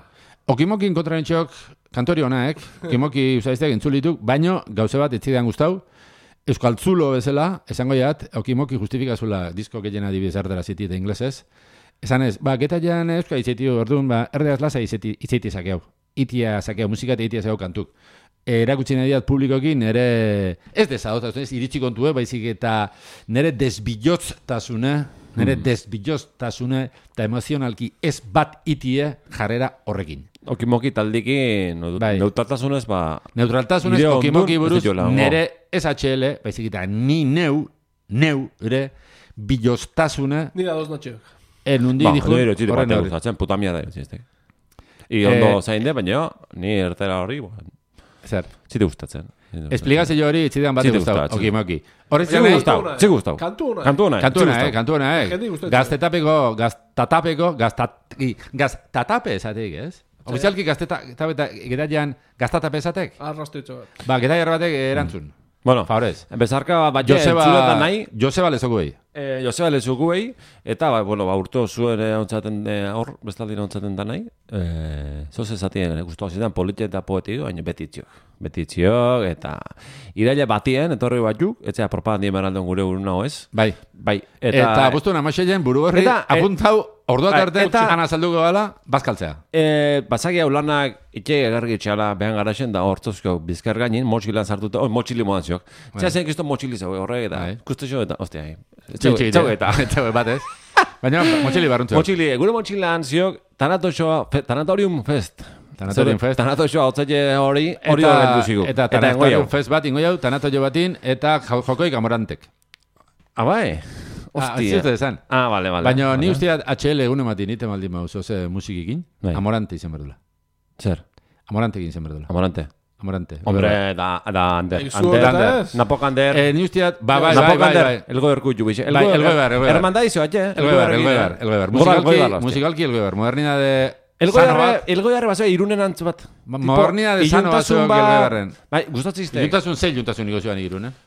Okimokin kontraren txok, kantori honaek, Okimoki usaizteak entzulituk, baino gauze bat etzidean guztau, Euskal Tzulo bezala, esango jat, Okimoki justifikazula disko gehien adibidez ardera ziti eta inglesez. Esan ez, ba, geta jan Euskal izetiu orduan, ba, erdeaz lasa izeiti sakeau. Itia sakeau, musika eta itia sakeau kantuk. erakutsi nahi diat publikoki nere, ez desadotasun, ez iritsi kontue, baizik eta nere desbillotztasune, nere mm. desbillotztasune eta emozionalki ez bat itie jarrera horrekin. Okimoki taldiki bai. neutraltasunez, ba... Neutraltasunez, okimoki buruz, nere ez H L, baizik eta ni neu, neu, ere, billoztasune... Nira dos notxeok. En un di ba, dijo... Ba, nire bat gustatzen, puta mierda, zizte. I ondo eh, zain de, baina ni ertera horri, zer. Zite gustatzen. Esplikazio hori itzidean bat gustau. Oki, moki. Horretzi gustau. Zi gustau. Kantu hona. Kantu hona. Kantu hona, eh. Kantu hona, eh. Gaztetapeko, gaztatapeko, gaztatape esateik, ez? Ofizialki gaztetapeta gedaian gaztatape esatek? Arrastu itxo bat. Ba, gedaiar batek erantzun. Bueno, favorez. Bezarka bat entzuleta nahi. Joseba lezokuei. Eh, Joseba lezokuei. Eta, ba, bueno, ba, urto zuen ontzaten hor, bestaldira ontzaten da nahi. Eh, zoz ezatien, guztu zidan, politia eta poeti du, baina betitziok. Betitziok, eta iraile batien, etorri batzuk, etzea propagandien beraldeon gure urun hau ez. Bai. Bai. Eta, eta buztu namaxeien buru horri, apuntau, orduak arte, ana salduko gala, bazkaltzea. Eh, Bazaki hau lanak, itxe egarri itxala, behan garaxen, da hortzozko bizkar gainin, motxilan sartuta, oh, motxili modan ziok. Txea zen kisto motxili zau, horrek eta, kustexo eta, ostia, txau eta, txau bat ez. Baina, motxili barruntzu. Motxili, gure motxilan ziok, Tanatorium Fest. Tanatorium Fest. Tanatoio hau zaila hori, hori horren duzigu. Eta Tanatorium Fest bat ingo jau, Tanatoio batin, eta jokoik amorantek. Ah, bai? Hostia. Ah, ah, vale, vale. Baina ni usteat H L egun ematin, nite maldi mauz, oze musikikin, Amorante izan berdula. Zer? Amorante egin izan berdula. Amorante. Amorante. Hombre, da, da, Ander. Ander. Napok Ander. Eh, ni usteat, ba, bai, bai, bai, bai. Elgoer kutxu, bixe. Bai, elgoer, elgoer. Hermandaizo, atxe? Elgoer, elgoer, elgoer. Musikalki, musikalki elgoer. Modernidade... Elgoiarre bat irunen antz bat. Modernidade sano bat zuek elgoiarren. Bai, gustatzizte. Iluntasun zei iluntasun niko zioan irunen.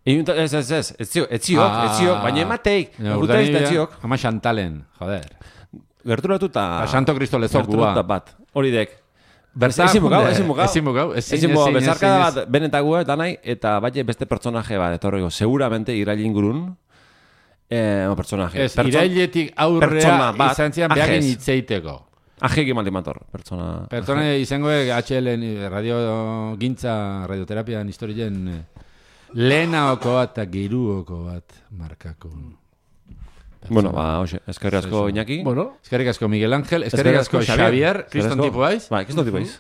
Ez, ez, ez. Ez ziok, ez ziok. Baina emateik. Urtariz da ziok. Ama xantalen, joder. Gerturatu eta... Santo Cristo lezokua. Gerturatu bat. Hori dek. Ezin mugau, ezin mugau. Ezin mugau. Ezin mugau. Bezarka bat benetagua eta nahi, eta bai beste pertsonaje bat, etorriko. Seguramente irailin gurun. Eh, personaje. Ez, irailetik aurrea izan zian behagin itzeiteko. Ajegi maldimator, pertsona... Pertsona izango H L radio gintza, radioterapian historien lehenaoko bat eta giruoko bat markako. Bueno, ba, hoxe, eskerrik asko Iñaki. Bueno, eskerrik asko Miguel Ángel, eskerrik asko Xavier, kriston tipu baiz. Ba, kriston tipu baiz.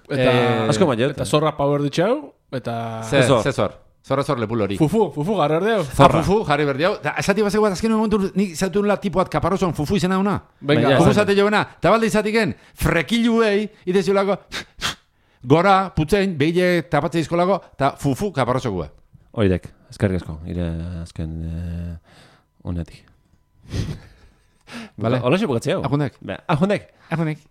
Asko maiet. Eta zorra power ditxau, eta... Zezor. Zorra zor lepul hori. Fufu, fufu jarri berdiau. Zorra. Fufu jarri berdiau. Esati bazeko bat, azken momentu nik zautu nula tipuat kaparrozon fufu izena una. Venga. Fufu zate joena. Eta balde izatiken, frekiluei, ideziolako, gora, putzein, behile tapatze izkolako, eta fufu kaparrozokua. Hoidek, eskerrik asko, ire azken honetik. Vale. Hola xe bukatzeu. Ajunek. Ajunek. Ajunek.